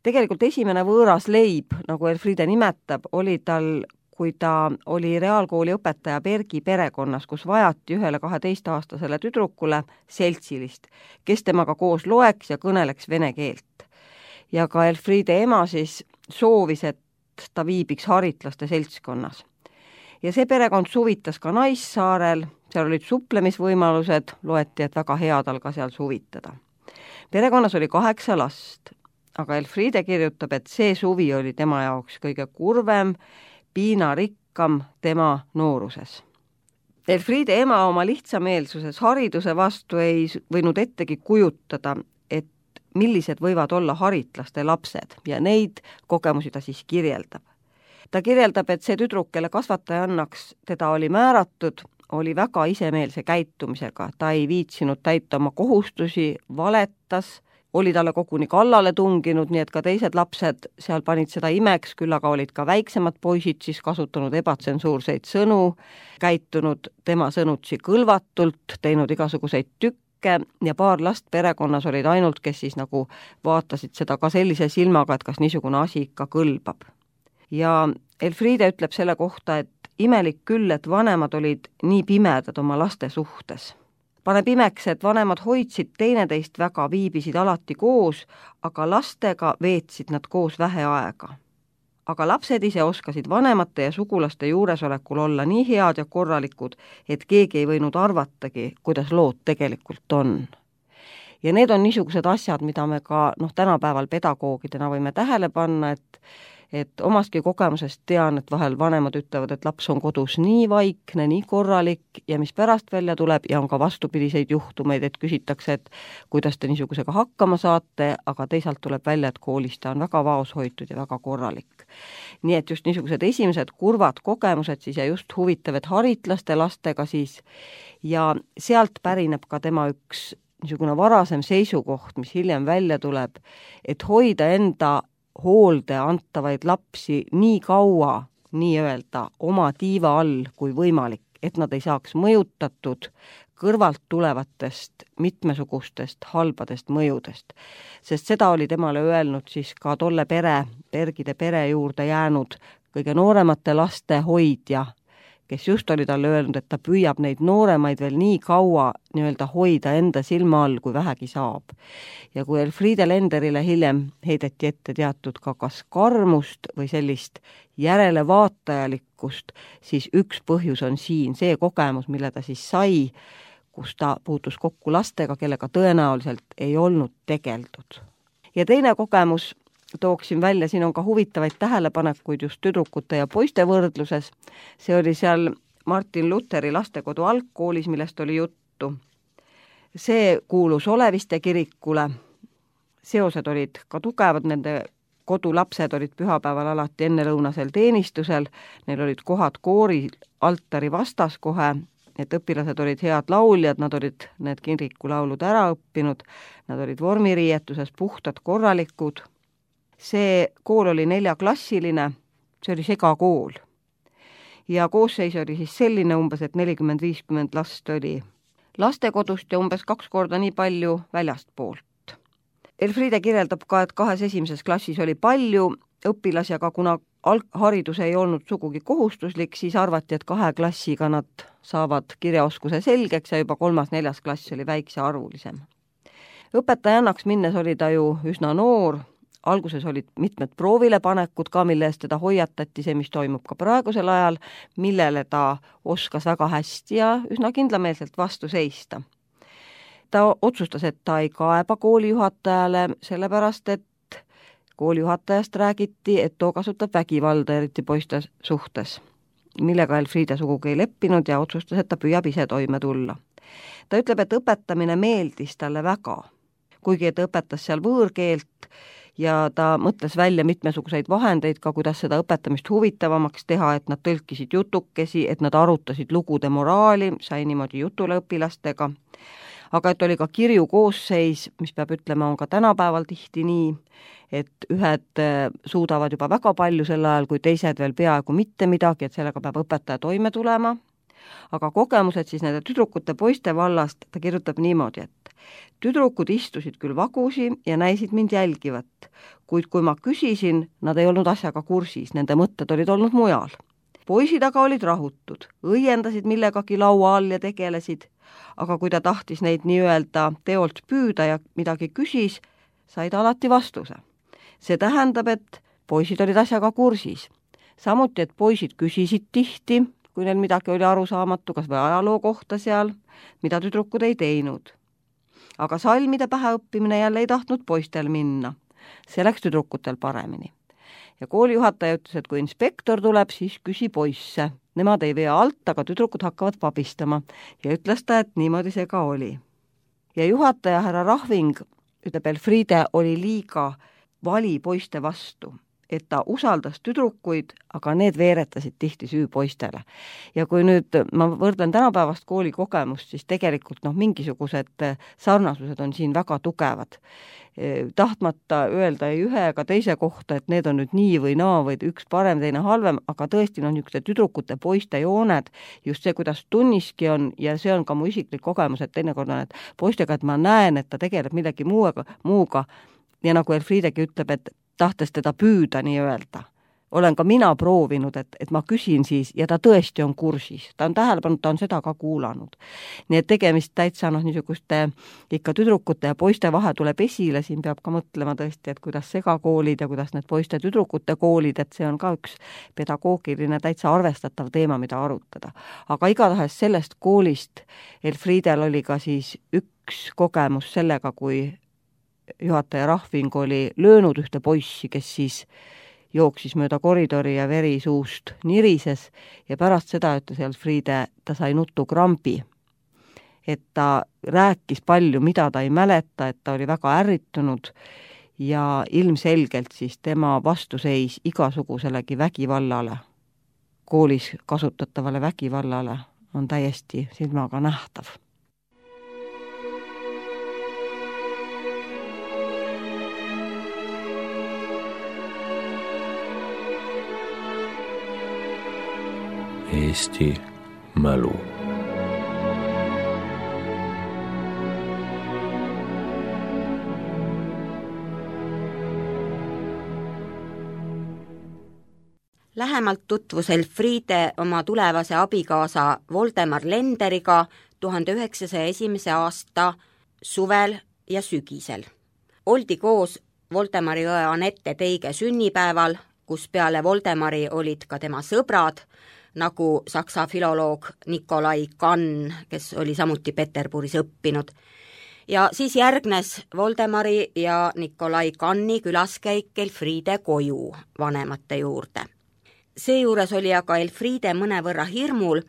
Tegelikult esimene võõras leib, nagu Elfriede nimetab, oli tal, kui ta oli reaalkooli õpetaja Bergi perekonnas, kus vajati ühele kaheteistaastasele tüdrukule seltsilist, kes temaga koos loeks ja kõneleks vene keelt. Ja ka Elfriede ema siis soovis, et ta viibiks haritlaste seltskonnas. Ja see perekond suvitas ka Naissaarel, seal olid suplemisvõimalused, loeti, et väga hea tal ka seal suvitada. Perekonnas oli kaheksa last, aga Elfriede kirjutab, et see suvi oli tema jaoks kõige kurvem, piinarikkam tema nooruses. Elfriede ema oma lihtsameelsuses hariduse vastu ei võinud ettegi kujutada, et millised võivad olla haritlaste lapsed ja neid kogemusi ta siis kirjeldab. Ta kirjeldab, et see tüdruk, kelle kasvataja annaks teda oli määratud, oli väga isemeelse käitumisega, ta ei viitsinud täita oma kohustusi, valetas, oli talle koguni kallale tunginud, nii et ka teised lapsed seal panid seda imeks, küll aga olid ka väiksemad poisid siis kasutanud ebatsensuurseid sõnu, käitunud tema sõnutsi kõlvatult, teinud igasuguseid tükke ja paar last perekonnas olid ainult, kes siis nagu vaatasid seda ka sellise silmaga, et kas niisugune asi ikka kõlbab. Ja Elfriede ütleb selle kohta, et imelik küll, et vanemad olid nii pimedad oma laste suhtes. Paneb imeks, et vanemad hoidsid teineteist väga, viibisid alati koos, aga lastega veetsid nad koos vähe aega. Aga lapsed ise oskasid vanemate ja sugulaste juuresolekul olla nii head ja korralikud, et keegi ei võinud arvatagi, kuidas lood tegelikult on. Ja need on niisugused asjad, mida me ka noh, tänapäeval pedagoogidena võime tähele panna, et et omastki kogemusest tean, et vahel vanemad ütlevad, et laps on kodus nii vaikne, nii korralik ja mis pärast välja tuleb ja on ka vastupidiseid juhtumeid, et küsitakse, et kuidas te niisugusega hakkama saate, aga teisalt tuleb välja, et koolis ta on väga vaoshoitud ja väga korralik. Nii et just niisugused esimesed kurvad kogemused siis ja just huvitav, et haritlaste lastega siis ja sealt pärineb ka tema üks niisugune varasem seisukoht, mis hiljem välja tuleb, et hoida enda hoolde antavaid lapsi nii kaua, nii-öelda oma tiiva all kui võimalik, et nad ei saaks mõjutatud kõrvalt tulevatest mitmesugustest halbadest mõjudest. Sest seda oli temale öelnud siis ka tolle pere, Bergide pere juurde jäänud kõige nooremate laste hoidja, kes just oli talle öelnud, et ta püüab neid nooremaid veel nii kaua nii-öelda hoida enda silma all, kui vähegi saab. Ja kui Elfriede Lenderile hiljem heideti ette teatud ka kas karmust või sellist järelevaatajalikkust, siis üks põhjus on siin see kogemus, mille ta siis sai, kus ta puutus kokku lastega, kellega tõenäoliselt ei olnud tegeldud. Ja teine kogemus tooksin välja, siin on ka huvitavaid tähelepanekuid just tüdrukute ja poiste võrdluses. See oli seal Martin Lutheri lastekodu algkoolis, millest oli juttu. See kuulus Oleviste kirikule. Seosed olid ka tugevad, nende kodulapsed olid pühapäeval alati ennelõunasel teenistusel, neil olid kohad koori altari vastas kohe, et õpilased olid head lauljad, nad olid need kirikulaulud ära õppinud, nad olid vormiriietuses puhtad, korralikud. See kool oli neljaklassiline, see oli segakool. Ja koosseis oli siis selline umbes, et nelikümmend viiskümmend last oli lastekodust ja umbes kaks korda nii palju väljastpoolt. Elfriede kirjeldab ka, et kahes esimeses klassis oli palju õpilasi, aga kuna haridus ei olnud sugugi kohustuslik, siis arvati, et kahe klassiga nad saavad kirjaoskuse selgeks ja juba kolmas-neljas klass oli väikse arvulisem. Õpetajannaks minnes oli ta ju üsna noor, alguses olid mitmed proovilepanekud ka, mille eest teda hoiatati, see, mis toimub ka praegusel ajal, millele ta oskas väga hästi ja üsna kindlameelselt vastu seista. Ta otsustas, et ta ei kaeba koolijuhatajale, sellepärast et koolijuhatajast räägiti, et too kasutab vägivalda, eriti poiste suhtes, millega Elfriede sugugi ei leppinud ja otsustas, et ta püüab ise toime tulla. ta ütleb, et õpetamine meeldis talle väga, kuigi ta õpetas seal võõrkeelt ja ta mõtles välja mitmesuguseid vahendeid ka, kuidas seda õpetamist huvitavamaks teha, et nad tõlkisid jutukesi, et nad arutasid lugude moraali, sai niimoodi jutule õpilastega, aga et oli ka kirju koosseis, mis peab ütlema, on ka tänapäeval tihti nii, et ühed suudavad juba väga palju sel ajal, kui teised veel peaaegu mitte midagi, et sellega peab õpetaja toime tulema. Aga kogemused siis nende tüdrukute poiste vallast, ta kirjutab niimoodi, et tüdrukud istusid küll vagusi ja näisid mind jälgivat, kuid kui ma küsisin, nad ei olnud asjaga kursis, nende mõtted olid olnud mujal. Poisid aga olid rahutud, õiendasid millegagi laua all ja tegelesid, aga kui ta tahtis neid nii-öelda teolt püüda ja midagi küsis, sai ta alati vastuse. See tähendab, et poisid olid asjaga kursis. Samuti, et poisid küsisid tihti, kui neil midagi oli arusaamatu, kas või ajaloo kohta seal, mida tüdrukud ei teinud. Aga salmide päheõppimine jälle ei tahtnud poistel minna. See läks tüdrukutel paremini. Ja koolijuhataja ütles, et kui inspektor tuleb, siis küsi poisse. Nemad ei vea alt, aga tüdrukud hakkavad pabistama. Ja ütles ta, et niimoodi see ka oli. Ja juhataja härra Rahving, ütleb, Elfriede oli liiga vali poiste vastu, et ta usaldas tüdrukuid, aga need veeretasid tihti süü poistele. Ja kui nüüd ma võrdlen tänapäevast kooli kogemust, siis tegelikult noh, mingisugused sarnasused on siin väga tugevad. Tahtmata öelda ei ühe ega teise kohta, et need on nüüd nii või naa või üks parem, teine halvem, aga tõesti on niisugused tüdrukute poiste jooned, just see, kuidas tunniski on, ja see on ka mu isiklik kogemus, et teinekord on, et poistega, et ma näen, et ta tegeleb millegi muuga, muuga. Ja nagu Elfriedegi ütleb, et tahtes teda püüda nii-öelda. Olen ka mina proovinud, et, et ma küsin siis ja ta tõesti on kursis. Ta on tähelepanud, ta on seda ka kuulanud. Nii et tegemist täitsa noh, niisuguste ikka tüdrukute ja poiste vahe tuleb esile, siin peab ka mõtlema tõesti, et kuidas segakoolid ja kuidas need poiste tüdrukute koolid, et see on ka üks pedagoogiline täitsa arvestatav teema, mida arutada. Aga igatahes sellest koolist Elfriedel oli ka siis üks kogemus sellega, kui juhataja Rahving oli löönud ühte poissi, kes siis jooksis mööda koridori ja veri suust nirises ja pärast seda ütles Elfriede, ta sai nutukrambi. Et ta rääkis palju, mida ta ei mäleta, et ta oli väga ärritunud ja ilmselgelt siis tema vastuseis igasuguselegi vägivallale, koolis kasutatavale vägivallale on täiesti silmaga nähtav. Eesti mälu. Lähemalt tutvus Elfriede oma tulevase abikaasa Voldemar Lenderiga tuhande üheksasaja esimese aasta suvel ja sügisel. Oldi koos Voldemari õe Anette Teige sünnipäeval, kus peale Voldemari olid ka tema sõbrad, nagu saksa filoloog Nikolai Kann, kes oli samuti Peterburis õppinud. Ja siis järgnes Voldemari ja Nikolai Kanni külaskäik Elfriede koju vanemate juurde. Seejuures oli aga Elfriede mõnevõrra hirmul,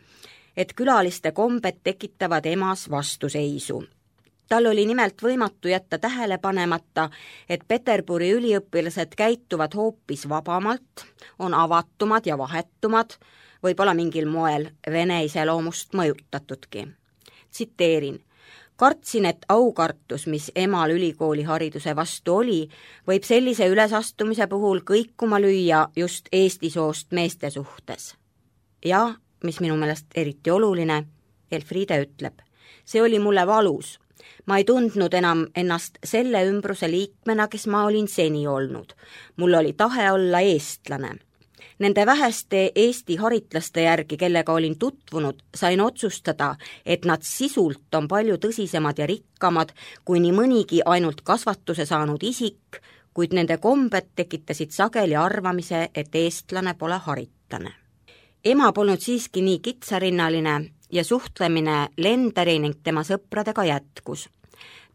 et külaliste kombed tekitavad emas vastuseisu. Tal oli nimelt võimatu jätta tähele panemata, et Peterburi üliõpilased käituvad hoopis vabamalt, on avatumad ja vahetumad, võib-olla mingil moel vene iseloomust mõjutatudki. Tsiteerin, kartsin, et aukartus, mis emal ülikooli hariduse vastu oli, võib sellise ülesastumise puhul kõikuma lüüa just Eesti soost meeste suhtes. Ja, mis minu meelest eriti oluline, Elfriede ütleb, see oli mulle valus. Ma ei tundnud enam ennast selle ümbruse liikmena, kes ma olin seni olnud. Mul oli tahe olla eestlane. Nende väheste Eesti haritlaste järgi, kellega olin tutvunud, sain otsustada, et nad sisult on palju tõsisemad ja rikkamad kui nii mõnigi ainult kasvatuse saanud isik, kuid nende kombed tekitasid sageli arvamise, et eestlane pole haritlane. Ema polnud siiski nii kitsarinnaline ja suhtlemine Lenderi ning tema sõpradega jätkus.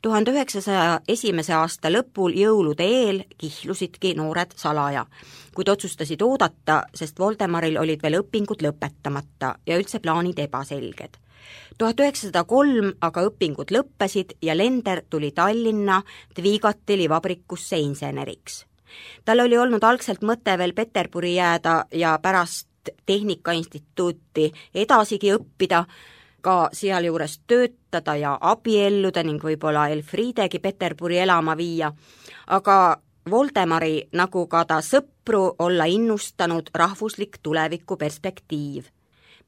tuhande üheksasaja esimese aasta lõpul jõulude eel kihlusidki noored salaja, kuid otsustasid oodata, sest Voldemaril olid veel õpingud lõpetamata ja üldse plaanid ebaselged. tuhat üheksasada kolm aga õpingud lõppesid ja Lender tuli Tallinna Dvigateli vabrikusse inseneriks. Tal oli olnud algselt mõte veel Peterburi jääda ja pärast Tehnikainstituuti edasigi õppida, ka sealjuures töötada ja abielluda ning võib-olla Elfriedegi Peterburi elama viia, aga Voldemari, nagu ka ta sõpru, olla innustanud rahvuslik tulevikuperspektiiv.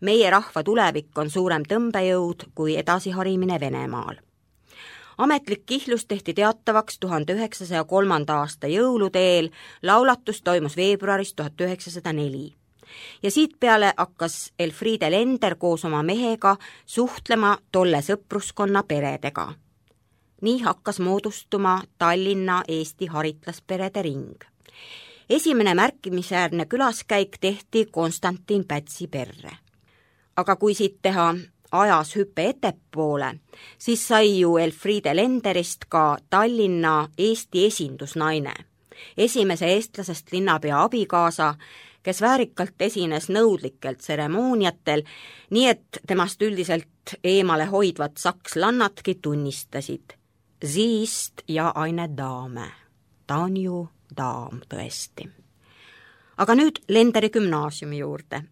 Meie rahva tulevik on suurem tõmbejõud kui edasiharimine Venemaal. Ametlik kihlus tehti teatavaks tuhande üheksasaja kolmanda aasta jõulude eel, laulatus toimus veebruaris tuhat üheksasada neli. Ja siit peale hakkas Elfriede Lender koos oma mehega suhtlema tolle sõpruskonna peredega. Nii hakkas moodustuma Tallinna Eesti haritlasperede ring. Esimene märkimisväärne külaskäik tehti Konstantin Pätsi perre. Aga kui siit teha ajas hüppe ettepoole, siis sai ju Elfriede Lenderist ka Tallinna Eesti esindusnaine, esimese eestlasest linnapea abikaasa, kes väärikalt esines nõudlikel tseremooniatel, nii et temast üldiselt eemale hoidvad sakslannadki tunnistasid. Siist ja eine daame. Ta on ju daam tõesti. Aga nüüd Lenderi gümnaasiumi juurde.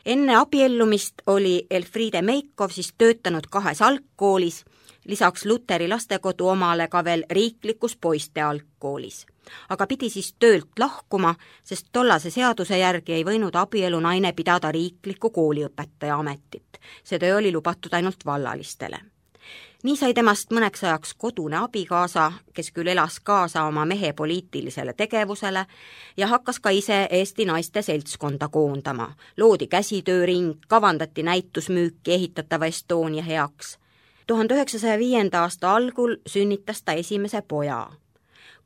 Enne abiellumist oli Elfriede Meikov siis töötanud kahes algkoolis, lisaks Luteri lastekodu omale ka veel riiklikus poiste algkoolis. Aga pidi siis töölt lahkuma, sest tollase seaduse järgi ei võinud abielu naine pidada riikliku kooliõpetaja ametit. See töö oli lubatud ainult vallalistele. Nii sai temast mõneks ajaks kodune abikaasa, kes küll elas kaasa oma mehe poliitilisele tegevusele ja hakkas ka ise Eesti naiste seltskonda koondama. Loodi käsitööring, kavandati näitusmüüki ehitatava Estonia heaks. tuhande üheksasaja viienda aasta algul sünnitas ta esimese poja.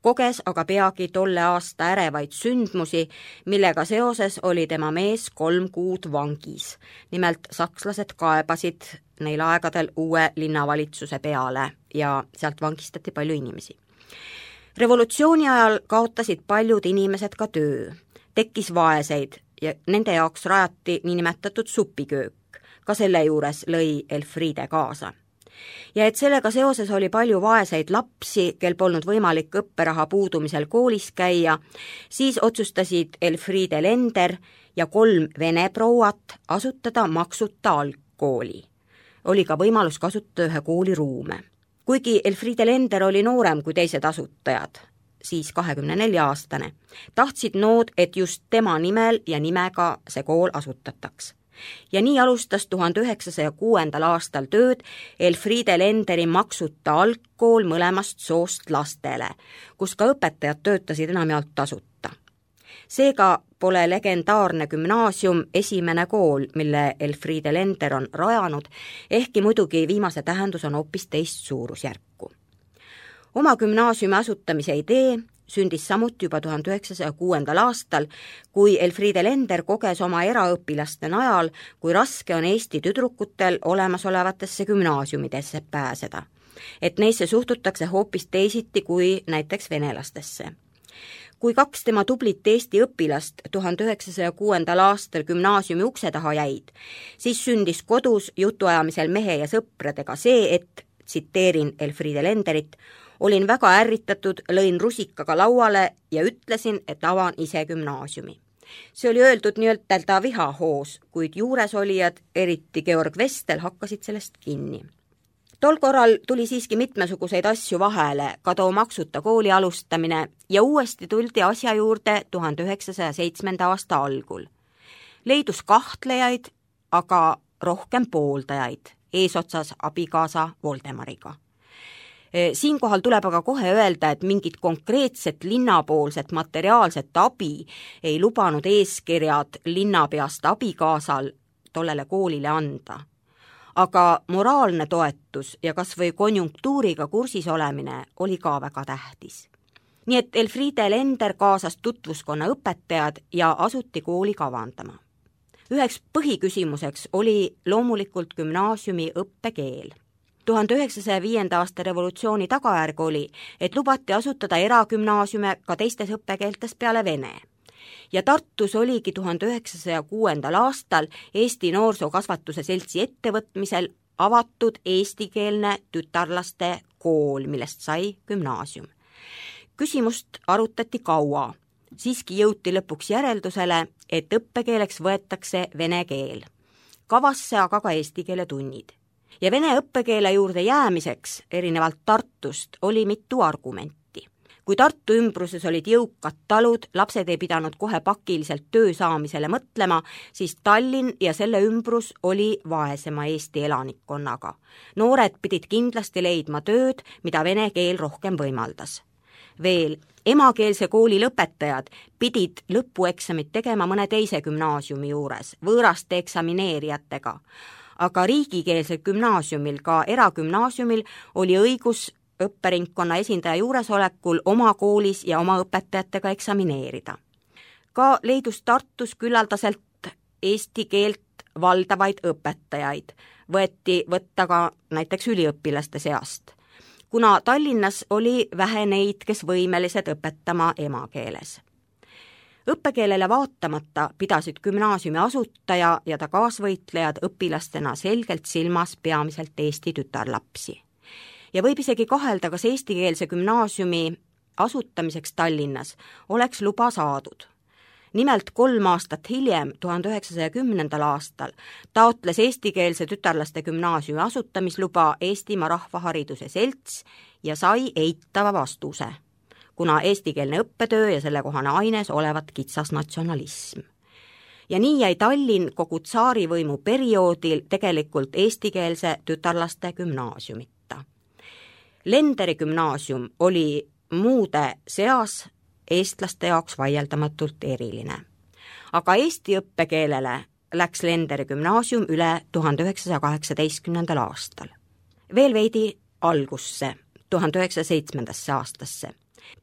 Koges aga peagi tolle aasta ärevaid sündmusi, millega seoses oli tema mees kolm kuud vangis. Nimelt sakslased kaebasid neil aegadel uue linnavalitsuse peale ja sealt vangistati palju inimesi. Revolutsiooni ajal kaotasid paljud inimesed ka töö. Tekkis vaeseid ja nende jaoks rajati niinimetatud supiköök. Ka selle juures lõi Elfriede kaasa. Ja et sellega seoses oli palju vaeseid lapsi, kel polnud võimalik õpperaha puudumisel koolis käia, siis otsustasid Elfriede Lender ja kolm vene prouat asutada maksuta algkooli. Oli ka võimalus kasutada ühe kooli ruume. Kuigi Elfriede Lender oli noorem kui teised asutajad, siis kahekümne nelja aastane, tahtsid nood, et just tema nimel ja nimega see kool asutataks. Ja nii alustas tuhande üheksasaja kuuendal aastal tööd Elfriede Lenderi maksuta algkool mõlemast soost lastele, kus ka õpetajad töötasid enamjaolt tasuta. Seega pole legendaarne gümnaasium esimene kool, mille Elfriede Lender on rajanud, ehkki muidugi viimase tähendus on hoopis teist suurusjärku. Oma gümnaasiumi asutamise idee sündis samuti juba tuhande üheksasaja kuuendal aastal, kui Elfriede Lender koges oma eraõpilaste najal, kui raske on Eesti tüdrukutel olemasolevatesse gümnaasiumidesse pääseda. Et neisse suhtutakse hoopis teisiti kui näiteks venelastesse. Kui kaks tema tublit Eesti õpilast tuhande üheksasaja kuuendal aastal gümnaasiumi ukse taha jäid, siis sündis kodus jutuajamisel mehe ja sõpradega see, et, tsiteerin Elfriede Lenderit, olin väga ärritatud, lõin rusikaga lauale ja ütlesin, et avan ise gümnaasiumi. See oli öeldud nii-öelda vihahoos, kuid juuresolijad, eriti Georg Vestel, hakkasid sellest kinni. Tol korral tuli siiski mitmesuguseid asju vahele, ka too maksuta kooli alustamine ja uuesti tuldi asja juurde tuhande üheksasaja seitsmenda aasta algul. Leidus kahtlejaid, aga rohkem pooldajaid, eesotsas abikaasa Voldemariga. Siinkohal tuleb aga kohe öelda, et mingit konkreetset linnapoolset materiaalset abi ei lubanud eeskirjad linnapeast abikaasal tollele koolile anda. Aga moraalne toetus ja kas või konjunktuuriga kursis olemine oli ka väga tähtis. Nii et Elfriede Lender kaasas tutvuskonna õpetajad ja asuti kooli kavandama. Üheks põhiküsimuseks oli loomulikult gümnaasiumi õppekeel. tuhande üheksasaja viienda aasta revolutsiooni tagajärg oli, et lubati asutada eragümnaasiume ka teistes õppekeeltes peale vene. Ja Tartus oligi tuhande üheksasaja kuuendal aastal Eesti Noorsookasvatuse Seltsi ettevõtmisel avatud eestikeelne tütarlaste kool, millest sai gümnaasium. Küsimust arutati kaua, siiski jõuti lõpuks järeldusele, et õppekeeleks võetakse vene keel. Kavasse aga ka eesti keele tunnid. Ja vene õppekeele juurde jäämiseks, erinevalt Tartust, oli mitu argumenti. Kui Tartu ümbruses olid jõukad talud, lapsed ei pidanud kohe pakiliselt töö saamisele mõtlema, siis Tallinn ja selle ümbrus oli vaesema Eesti elanikkonnaga. Noored pidid kindlasti leidma tööd, mida vene keel rohkem võimaldas. Veel, emakeelse kooli lõpetajad pidid lõpueksamit tegema mõne teise gümnaasiumi juures, võõraste eksamineerijatega. Aga riigikeelsel gümnaasiumil, ka eragümnaasiumil, oli õigus õpperingkonna esindaja juuresolekul oma koolis ja oma õpetajatega eksamineerida. Ka leidus Tartus küllaldaselt eesti keelt valdavaid õpetajaid, võeti võtta ka näiteks üliõpilaste seast, kuna Tallinnas oli vähe neid, kes võimelised õpetama emakeeles. Õppekeelele vaatamata pidasid gümnaasiumi asutaja ja ta kaasvõitlejad õpilastena selgelt silmas peamiselt Eesti tütarlapsi. Ja võib isegi kahelda, kas eestikeelse gümnaasiumi asutamiseks Tallinnas oleks luba saadud. Nimelt kolm aastat hiljem, tuhande üheksasaja kümnendal aastal, taotles eestikeelse tütarlaste gümnaasiumi asutamisluba Eestimaa Rahvahariduse Selts ja sai eitava vastuse, kuna eestikeelne õppetöö ja sellekohane aines olevat kitsas natsionalism. Ja nii jäi Tallinn kogu tsaarivõimu perioodil tegelikult eestikeelse tütarlaste gümnaasiumita. Lenderi gümnaasium oli muude seas eestlaste jaoks vaieldamatult eriline. Aga eesti õppekeelele läks Lenderi gümnaasium üle tuhande üheksasaja kaheksateistkümnendal aastal. Veel veidi algusse, tuhande üheksasaja seitsmendasse aastasse.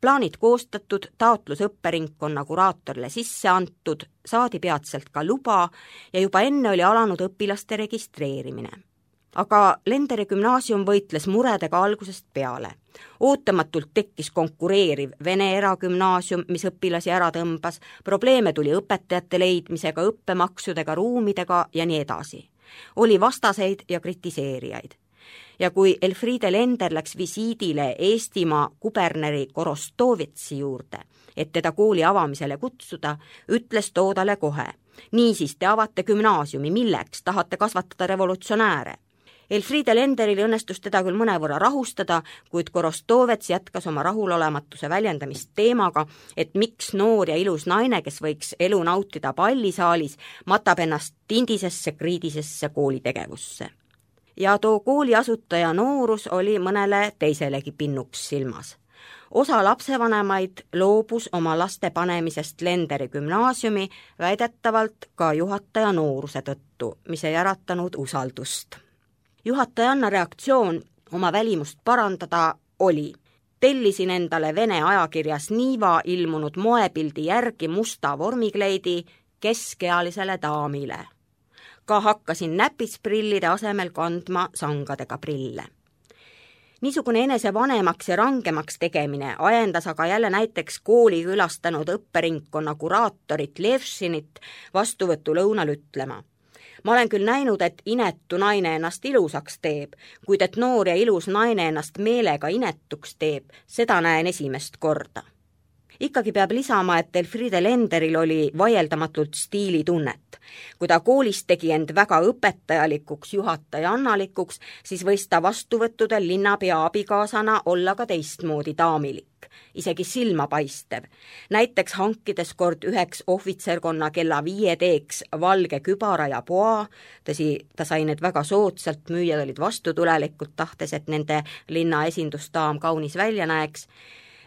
Plaanid koostatud, taotlus õpperingkonna kuraatorile sisse antud, saadi peatselt ka luba ja juba enne oli alanud õpilaste registreerimine. Aga Lenderi gümnaasium võitles muredega algusest peale. Ootamatult tekkis konkureeriv vene eragümnaasium, mis õpilasi ära tõmbas, probleeme tuli õpetajate leidmisega, õppemaksudega, ruumidega ja nii edasi. Oli vastaseid ja kritiseerijaid. Ja kui Elfriede Lender läks visiidile Eestimaa kuberneri Korostovitsi juurde, et teda kooli avamisele kutsuda, ütles toodale kohe: niisiis te avate gümnaasiumi, milleks tahate kasvatada revolutsionääre? Elfriede Lenderil õnnestus teda küll mõnevõrra rahustada, kuid Korostovets jätkas oma rahulolematuse väljendamist teemaga, et miks noor ja ilus naine, kes võiks elu nautida pallisaalis, matab ennast tindisesse kriidisesse koolitegevusse. Ja too kooli asutaja noorus oli mõnele teiselegi pinnuks silmas. Osa lapsevanemaid loobus oma laste panemisest Lenderi gümnaasiumi väidetavalt ka juhataja nooruse tõttu, mis ei äratanud usaldust. Juhatajanna reaktsioon oma välimust parandada oli: tellisin endale vene ajakirjas Niva ilmunud moepildi järgi musta vormikleidi keskealisele daamile. Ka hakkasin näpisprillide asemel kandma sangadega prille. Niisugune enese vanemaks ja rangemaks tegemine ajendas aga jälle näiteks kooli külastanud õpperingkonna kuraatorit Levšinit vastuvõtulõunal ütlema: ma olen küll näinud, et inetu naine ennast ilusaks teeb, kuid et noor ja ilus naine ennast meelega inetuks teeb, seda näen esimest korda. Ikkagi peab lisama, et Elfriede Lenderil oli vaieldamatult stiilitunnet. Kui ta koolis tegi end väga õpetajalikuks, juhatajannalikuks, siis võis ta vastuvõttudel linnapea abikaasana olla ka teistmoodi daamilik, isegi silmapaistev. Näiteks hankides kord üheks ohvitserkonna kella viie teeks valge kübara ja poa, tõsi, ta sai need väga soodsalt, müüjad olid vastutulelikult, tahtes, et nende linna esindusdaam kaunis välja näeks.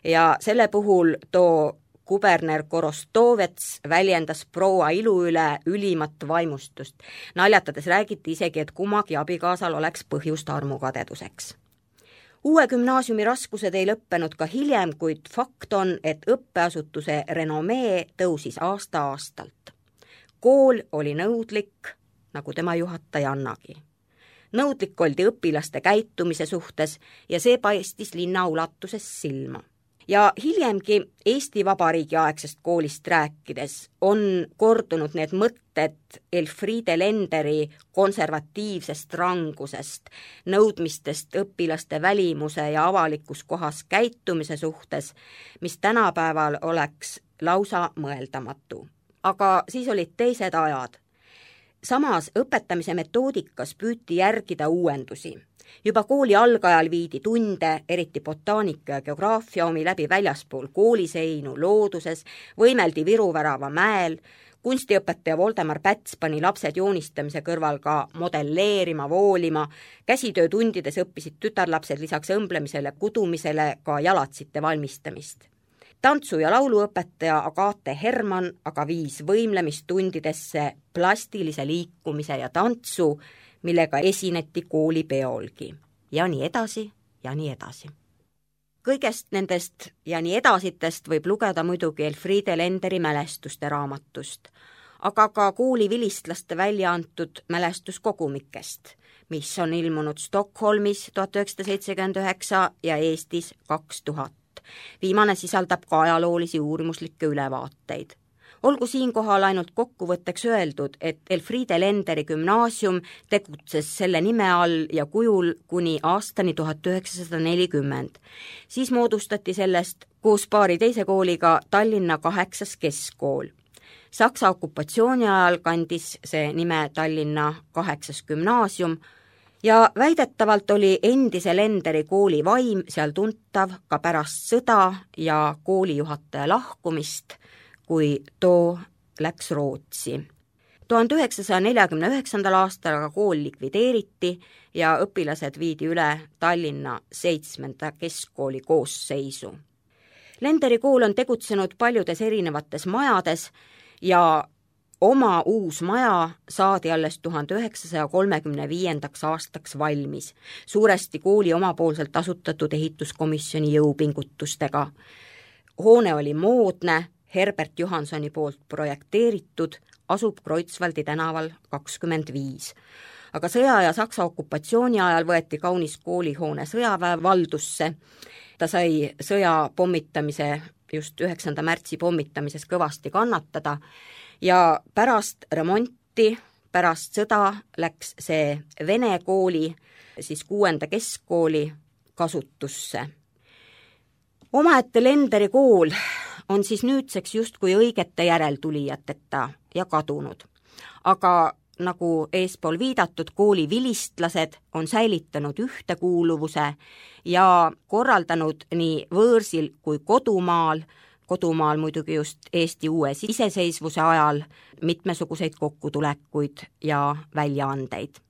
Ja selle puhul too kuberner Korostovets väljendas proua ilu üle ülimat vaimustust. Naljatades räägiti isegi, et kummagi abikaasal oleks põhjust armukadeduseks. Uue gümnaasiumi raskused ei lõppenud ka hiljem, kuid fakt on, et õppeasutuse renomee tõusis aasta-aastalt. Kool oli nõudlik, nagu tema juhatajannagi. nõudlik oldi õpilaste käitumise suhtes ja see paistis linna ulatuses silma. Ja hiljemgi Eesti Vabariigi aegsest koolist rääkides on kordunud need mõtted Elfriede Lenderi konservatiivsest rangusest, nõudmistest õpilaste välimuse ja avalikus kohas käitumise suhtes, mis tänapäeval oleks lausa mõeldamatu. Aga siis olid teised ajad. Samas õpetamise metoodikas püüti järgida uuendusi. Juba kooli algajal viidi tunde, eriti botaanika ja geograafia omi läbi väljaspool kooliseinu, looduses, võimeldi Viruvärava mäel, kunstiõpetaja Voldemar Päts pani lapsed joonistamise kõrval ka modelleerima, voolima, käsitöötundides õppisid tütarlapsed lisaks õmblemisele, kudumisele ka jalatsite valmistamist. Tantsu- ja lauluõpetaja Agate Hermann aga viis võimlemistundidesse plastilise liikumise ja tantsu, millega esineti koolipeolgi. Ja nii edasi, ja nii edasi. Kõigest nendest ja nii edasitest võib lugeda muidugi Elfriede Lenderi mälestuste raamatust, aga ka kooli vilistlaste välja antud mälestuskogumikest, mis on ilmunud Stockholmis tuhat üheksasada seitsekümmend üheksa ja Eestis kaks tuhat. Viimane sisaldab ka ajaloolisi uurimuslikke ülevaateid. Olgu siinkohal ainult kokkuvõtteks öeldud, et Elfriede Lenderi gümnaasium tegutses selle nime all ja kujul kuni aastani tuhat üheksasada nelikümmend. Siis moodustati sellest koos paari teise kooliga Tallinna kaheksas keskkool. Saksa okupatsiooni ajal kandis see nime Tallinna kaheksas gümnaasium ja väidetavalt oli endise Lenderi kooli vaim seal tuntav ka pärast sõda ja koolijuhataja lahkumist, kui too läks Rootsi. tuhande üheksasaja neljakümne üheksandal aastal aga kool likvideeriti ja õpilased viidi üle Tallinna seitsmenda keskkooli koosseisu. Lenderi kool on tegutsenud paljudes erinevates majades ja oma uus maja saadi alles tuhande üheksasaja kolmekümne viiendaks aastaks valmis, suuresti kooli omapoolselt asutatud ehituskomisjoni jõupingutustega. Hoone oli moodne, Herbert Johansoni poolt projekteeritud, asub Kreutzwaldi tänaval kakskümmend viis. Aga sõja ja Saksa okupatsiooni ajal võeti kaunis koolihoone sõjaväe valdusse. Ta sai sõja pommitamise, just üheksanda märtsi pommitamises kõvasti kannatada ja pärast remonti, pärast sõda läks see Vene kooli, siis kuuenda keskkooli kasutusse. Omaette Lenderi kool on siis nüüdseks justkui õigete järeltulijateta ja kadunud. Aga nagu eespool viidatud, kooli vilistlased on säilitanud ühtekuuluvuse ja korraldanud nii võõrsil kui kodumaal, kodumaal muidugi just Eesti uue iseseisvuse ajal, mitmesuguseid kokkutulekuid ja väljaandeid.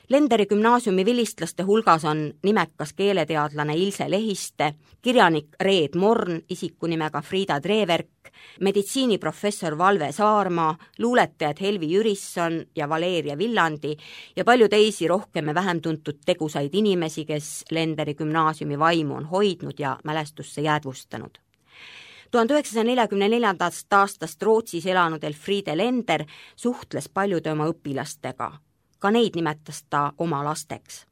Lenderi gümnaasiumi vilistlaste hulgas on nimekas keeleteadlane Ilse Lehiste, kirjanik Reet Morn isikunimega Frieda Treverk, meditsiiniprofessor Valve Saarmaa, luuletajad Helvi Jürisson ja Valeria Villandi ja palju teisi rohkem ja vähem tuntud tegusaid inimesi, kes Lenderi gümnaasiumi vaimu on hoidnud ja mälestusse jäädvustanud. tuhande üheksasaja neljakümne neljandast aastast Rootsis elanud Elfriede Lender suhtles paljude oma õpilastega. Ka neid nimetas ta oma lasteks.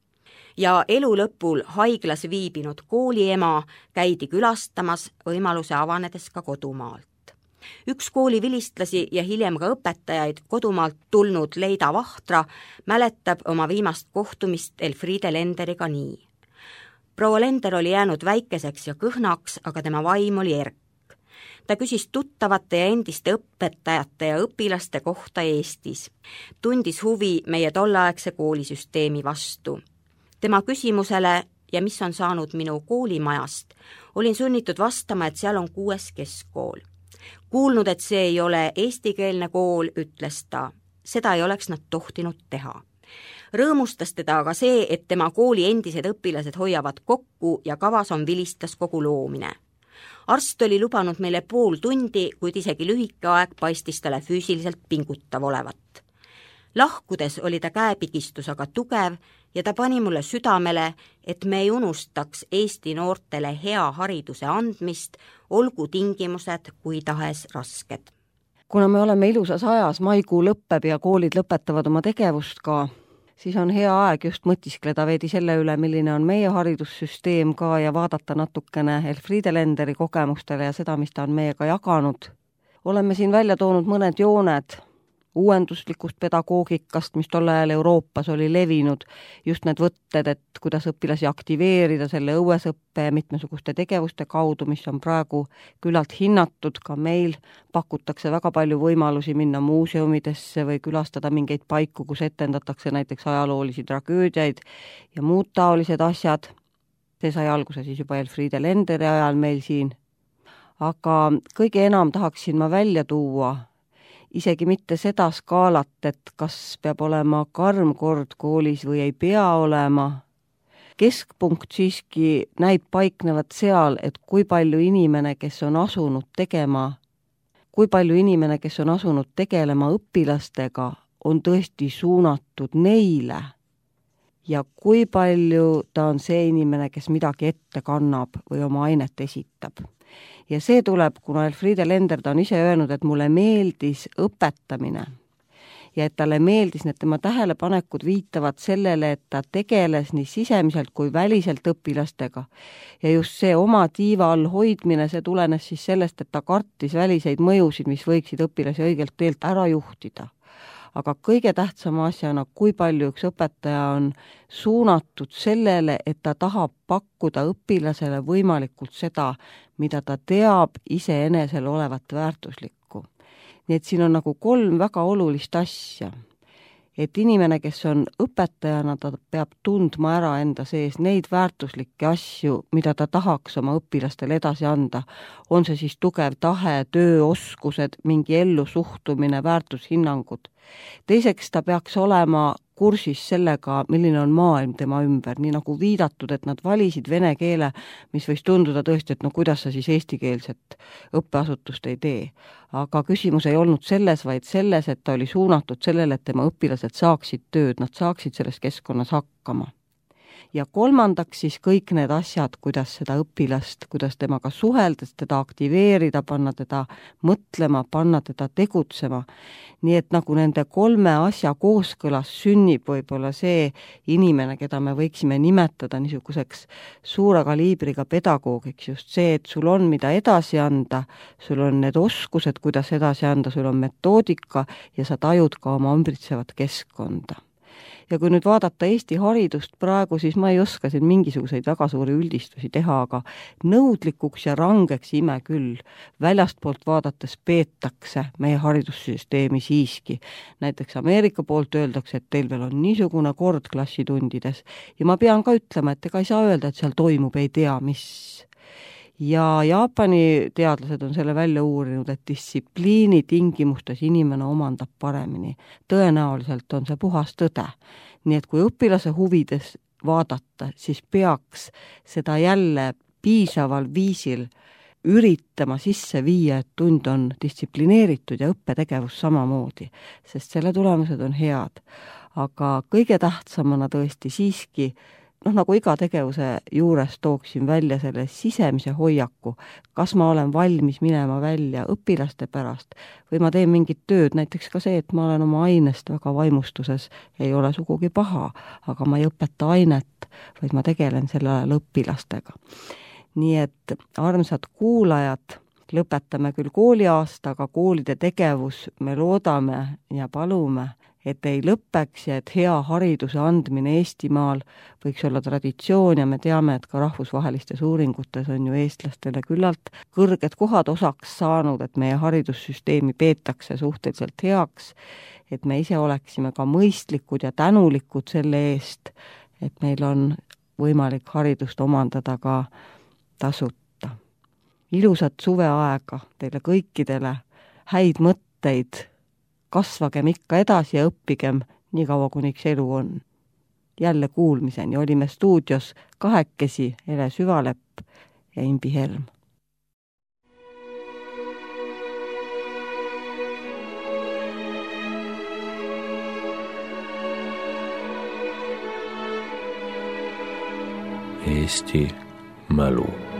Ja elu lõpul haiglas viibinud kooliema käidi külastamas võimaluse avanedes ka kodumaalt. Üks kooli vilistlasi ja hiljem ka õpetajaid kodumaalt tulnud Leida Vahtra mäletab oma viimast kohtumist Elfriede Lenderiga nii. Proua Lender oli jäänud väikeseks ja kõhnaks, aga tema vaim oli erk. Ta küsis tuttavate ja endiste õpetajate ja õpilaste kohta Eestis. Tundis huvi meie tolleaegse koolisüsteemi vastu. Tema küsimusele, ja mis on saanud minu koolimajast, olin sunnitud vastama, et seal on kuues keskkool. Kuulnud, et see ei ole eestikeelne kool, ütles ta. Seda ei oleks nad tohtinud teha. Rõõmustas teda aga see, et tema kooli endised õpilased hoiavad kokku ja kavas on vilistlaskogu loomine. Arst oli lubanud meile pool tundi, kuid isegi lühike aeg paistis talle füüsiliselt pingutav olevat. Lahkudes oli ta käepigistus aga tugev ja ta pani mulle südamele, et me ei unustaks Eesti noortele hea hariduse andmist, olgu tingimused kui tahes rasked. Kuna me oleme ilusas ajas, maikuu lõppeb ja koolid lõpetavad oma tegevust ka, siis on hea aeg just mõtiskleda veidi selle üle, milline on meie haridussüsteem ka ja vaadata natukene Elfriede Lenderi kogemustele ja seda, mis ta on meiega jaganud. Oleme siin välja toonud mõned jooned uuenduslikust pedagoogikast, mis tol ajal Euroopas oli levinud, just need võtted, et kuidas õpilasi aktiveerida selle õuesõppe ja mitmesuguste tegevuste kaudu, mis on praegu küllalt hinnatud, ka meil pakutakse väga palju võimalusi minna muuseumidesse või külastada mingeid paiku, kus etendatakse näiteks ajaloolisi tragöödiaid ja muud taolised asjad. See sai alguse siis juba Elfriede Lenderi ajal meil siin. Aga kõige enam tahaksin ma välja tuua isegi mitte seda skaalat, et kas peab olema karm kord koolis või ei pea olema. Keskpunkt siiski näib paiknevat seal, et kui palju inimene, kes on asunud tegema, kui palju inimene, kes on asunud tegelema õpilastega, on tõesti suunatud neile ja kui palju ta on see inimene, kes midagi ette kannab või oma ainet esitab. Ja see tuleb, kuna Elfriede Lender ta on ise öelnud, et mulle meeldis õpetamine ja et talle meeldis, need tema tähelepanekud viitavad sellele, et ta tegeles nii sisemiselt kui väliselt õpilastega. Ja just see oma tiiva all hoidmine, see tulenes siis sellest, et ta kartis väliseid mõjusid, mis võiksid õpilasi õigelt teelt ära juhtida. Aga kõige tähtsama asjana, kui palju üks õpetaja on suunatud sellele, et ta tahab pakkuda õpilasele võimalikult seda, mida ta teab iseenesel olevat väärtuslikku. Nii et siin on nagu kolm väga olulist asja. Et inimene, kes on õpetajana, ta peab tundma ära enda sees neid väärtuslikke asju, mida ta tahaks oma õpilastele edasi anda. On see siis tugev tahe, tööoskused, mingi ellu suhtumine, väärtushinnangud. Teiseks ta peaks olema kursis sellega, milline on maailm tema ümber, nii nagu viidatud, et nad valisid vene keele, mis võis tunduda tõesti, et no kuidas sa siis eestikeelset õppeasutust ei tee. Aga küsimus ei olnud selles, vaid selles, et ta oli suunatud sellele, et tema õpilased saaksid tööd, nad saaksid selles keskkonnas hakkama. Ja kolmandaks siis kõik need asjad, kuidas seda õpilast, kuidas temaga suheldes, teda aktiveerida, panna teda mõtlema, panna teda tegutsema. Nii et nagu nende kolme asja kooskõlas sünnib võib-olla see inimene, keda me võiksime nimetada niisuguseks suure kaliibriga pedagoogiks, just see, et sul on mida edasi anda, sul on need oskused, kuidas edasi anda, sul on metoodika ja sa tajud ka oma ümbritsevat keskkonda. Ja kui nüüd vaadata Eesti haridust praegu, siis ma ei oska siin mingisuguseid väga suuri üldistusi teha, aga nõudlikuks ja rangeks ime küll. Väljastpoolt vaadates peetakse meie haridussüsteemi siiski. Näiteks Ameerika poolt öeldakse, et teil veel on niisugune kord klassitundides. Ja ma pean ka ütlema, et ega ei saa öelda, et seal toimub ei tea mis. Ja Jaapani teadlased on selle välja uurinud, et distsipliini tingimustes inimene omandab paremini. Tõenäoliselt on see puhas tõde. Nii et kui õpilase huvides vaadata, siis peaks seda jälle piisaval viisil üritama sisse viia, et tund on distsiplineeritud ja õppetegevus samamoodi, sest selle tulemused on head. Aga kõige tähtsamana tõesti siiski noh, nagu iga tegevuse juures tooksin välja selle sisemise hoiaku, kas ma olen valmis minema välja õpilaste pärast või ma teen mingit tööd, näiteks ka see, et ma olen oma ainest väga vaimustuses, ei ole sugugi paha, aga ma ei õpeta ainet, vaid ma tegelen selle ajal õpilastega. Nii et armsad kuulajad, lõpetame küll kooliaasta, aga koolide tegevus me loodame ja palume, et ei lõppeks ja et hea hariduse andmine Eestimaal võiks olla traditsioon ja me teame, et ka rahvusvahelistes uuringutes on ju eestlastele küllalt kõrged kohad osaks saanud, et meie haridussüsteemi peetakse suhteliselt heaks, et me ise oleksime ka mõistlikud ja tänulikud selle eest, et meil on võimalik haridust omandada ka tasuta. Ilusat suveaega teile kõikidele, häid mõtteid, kasvagem ikka edasi ja õppigem nii kaua, kuniks elu on. Jälle kuulmiseni olime stuudios kahekesi Ele Süvalepp ja Imbi Helm. Eesti mälu.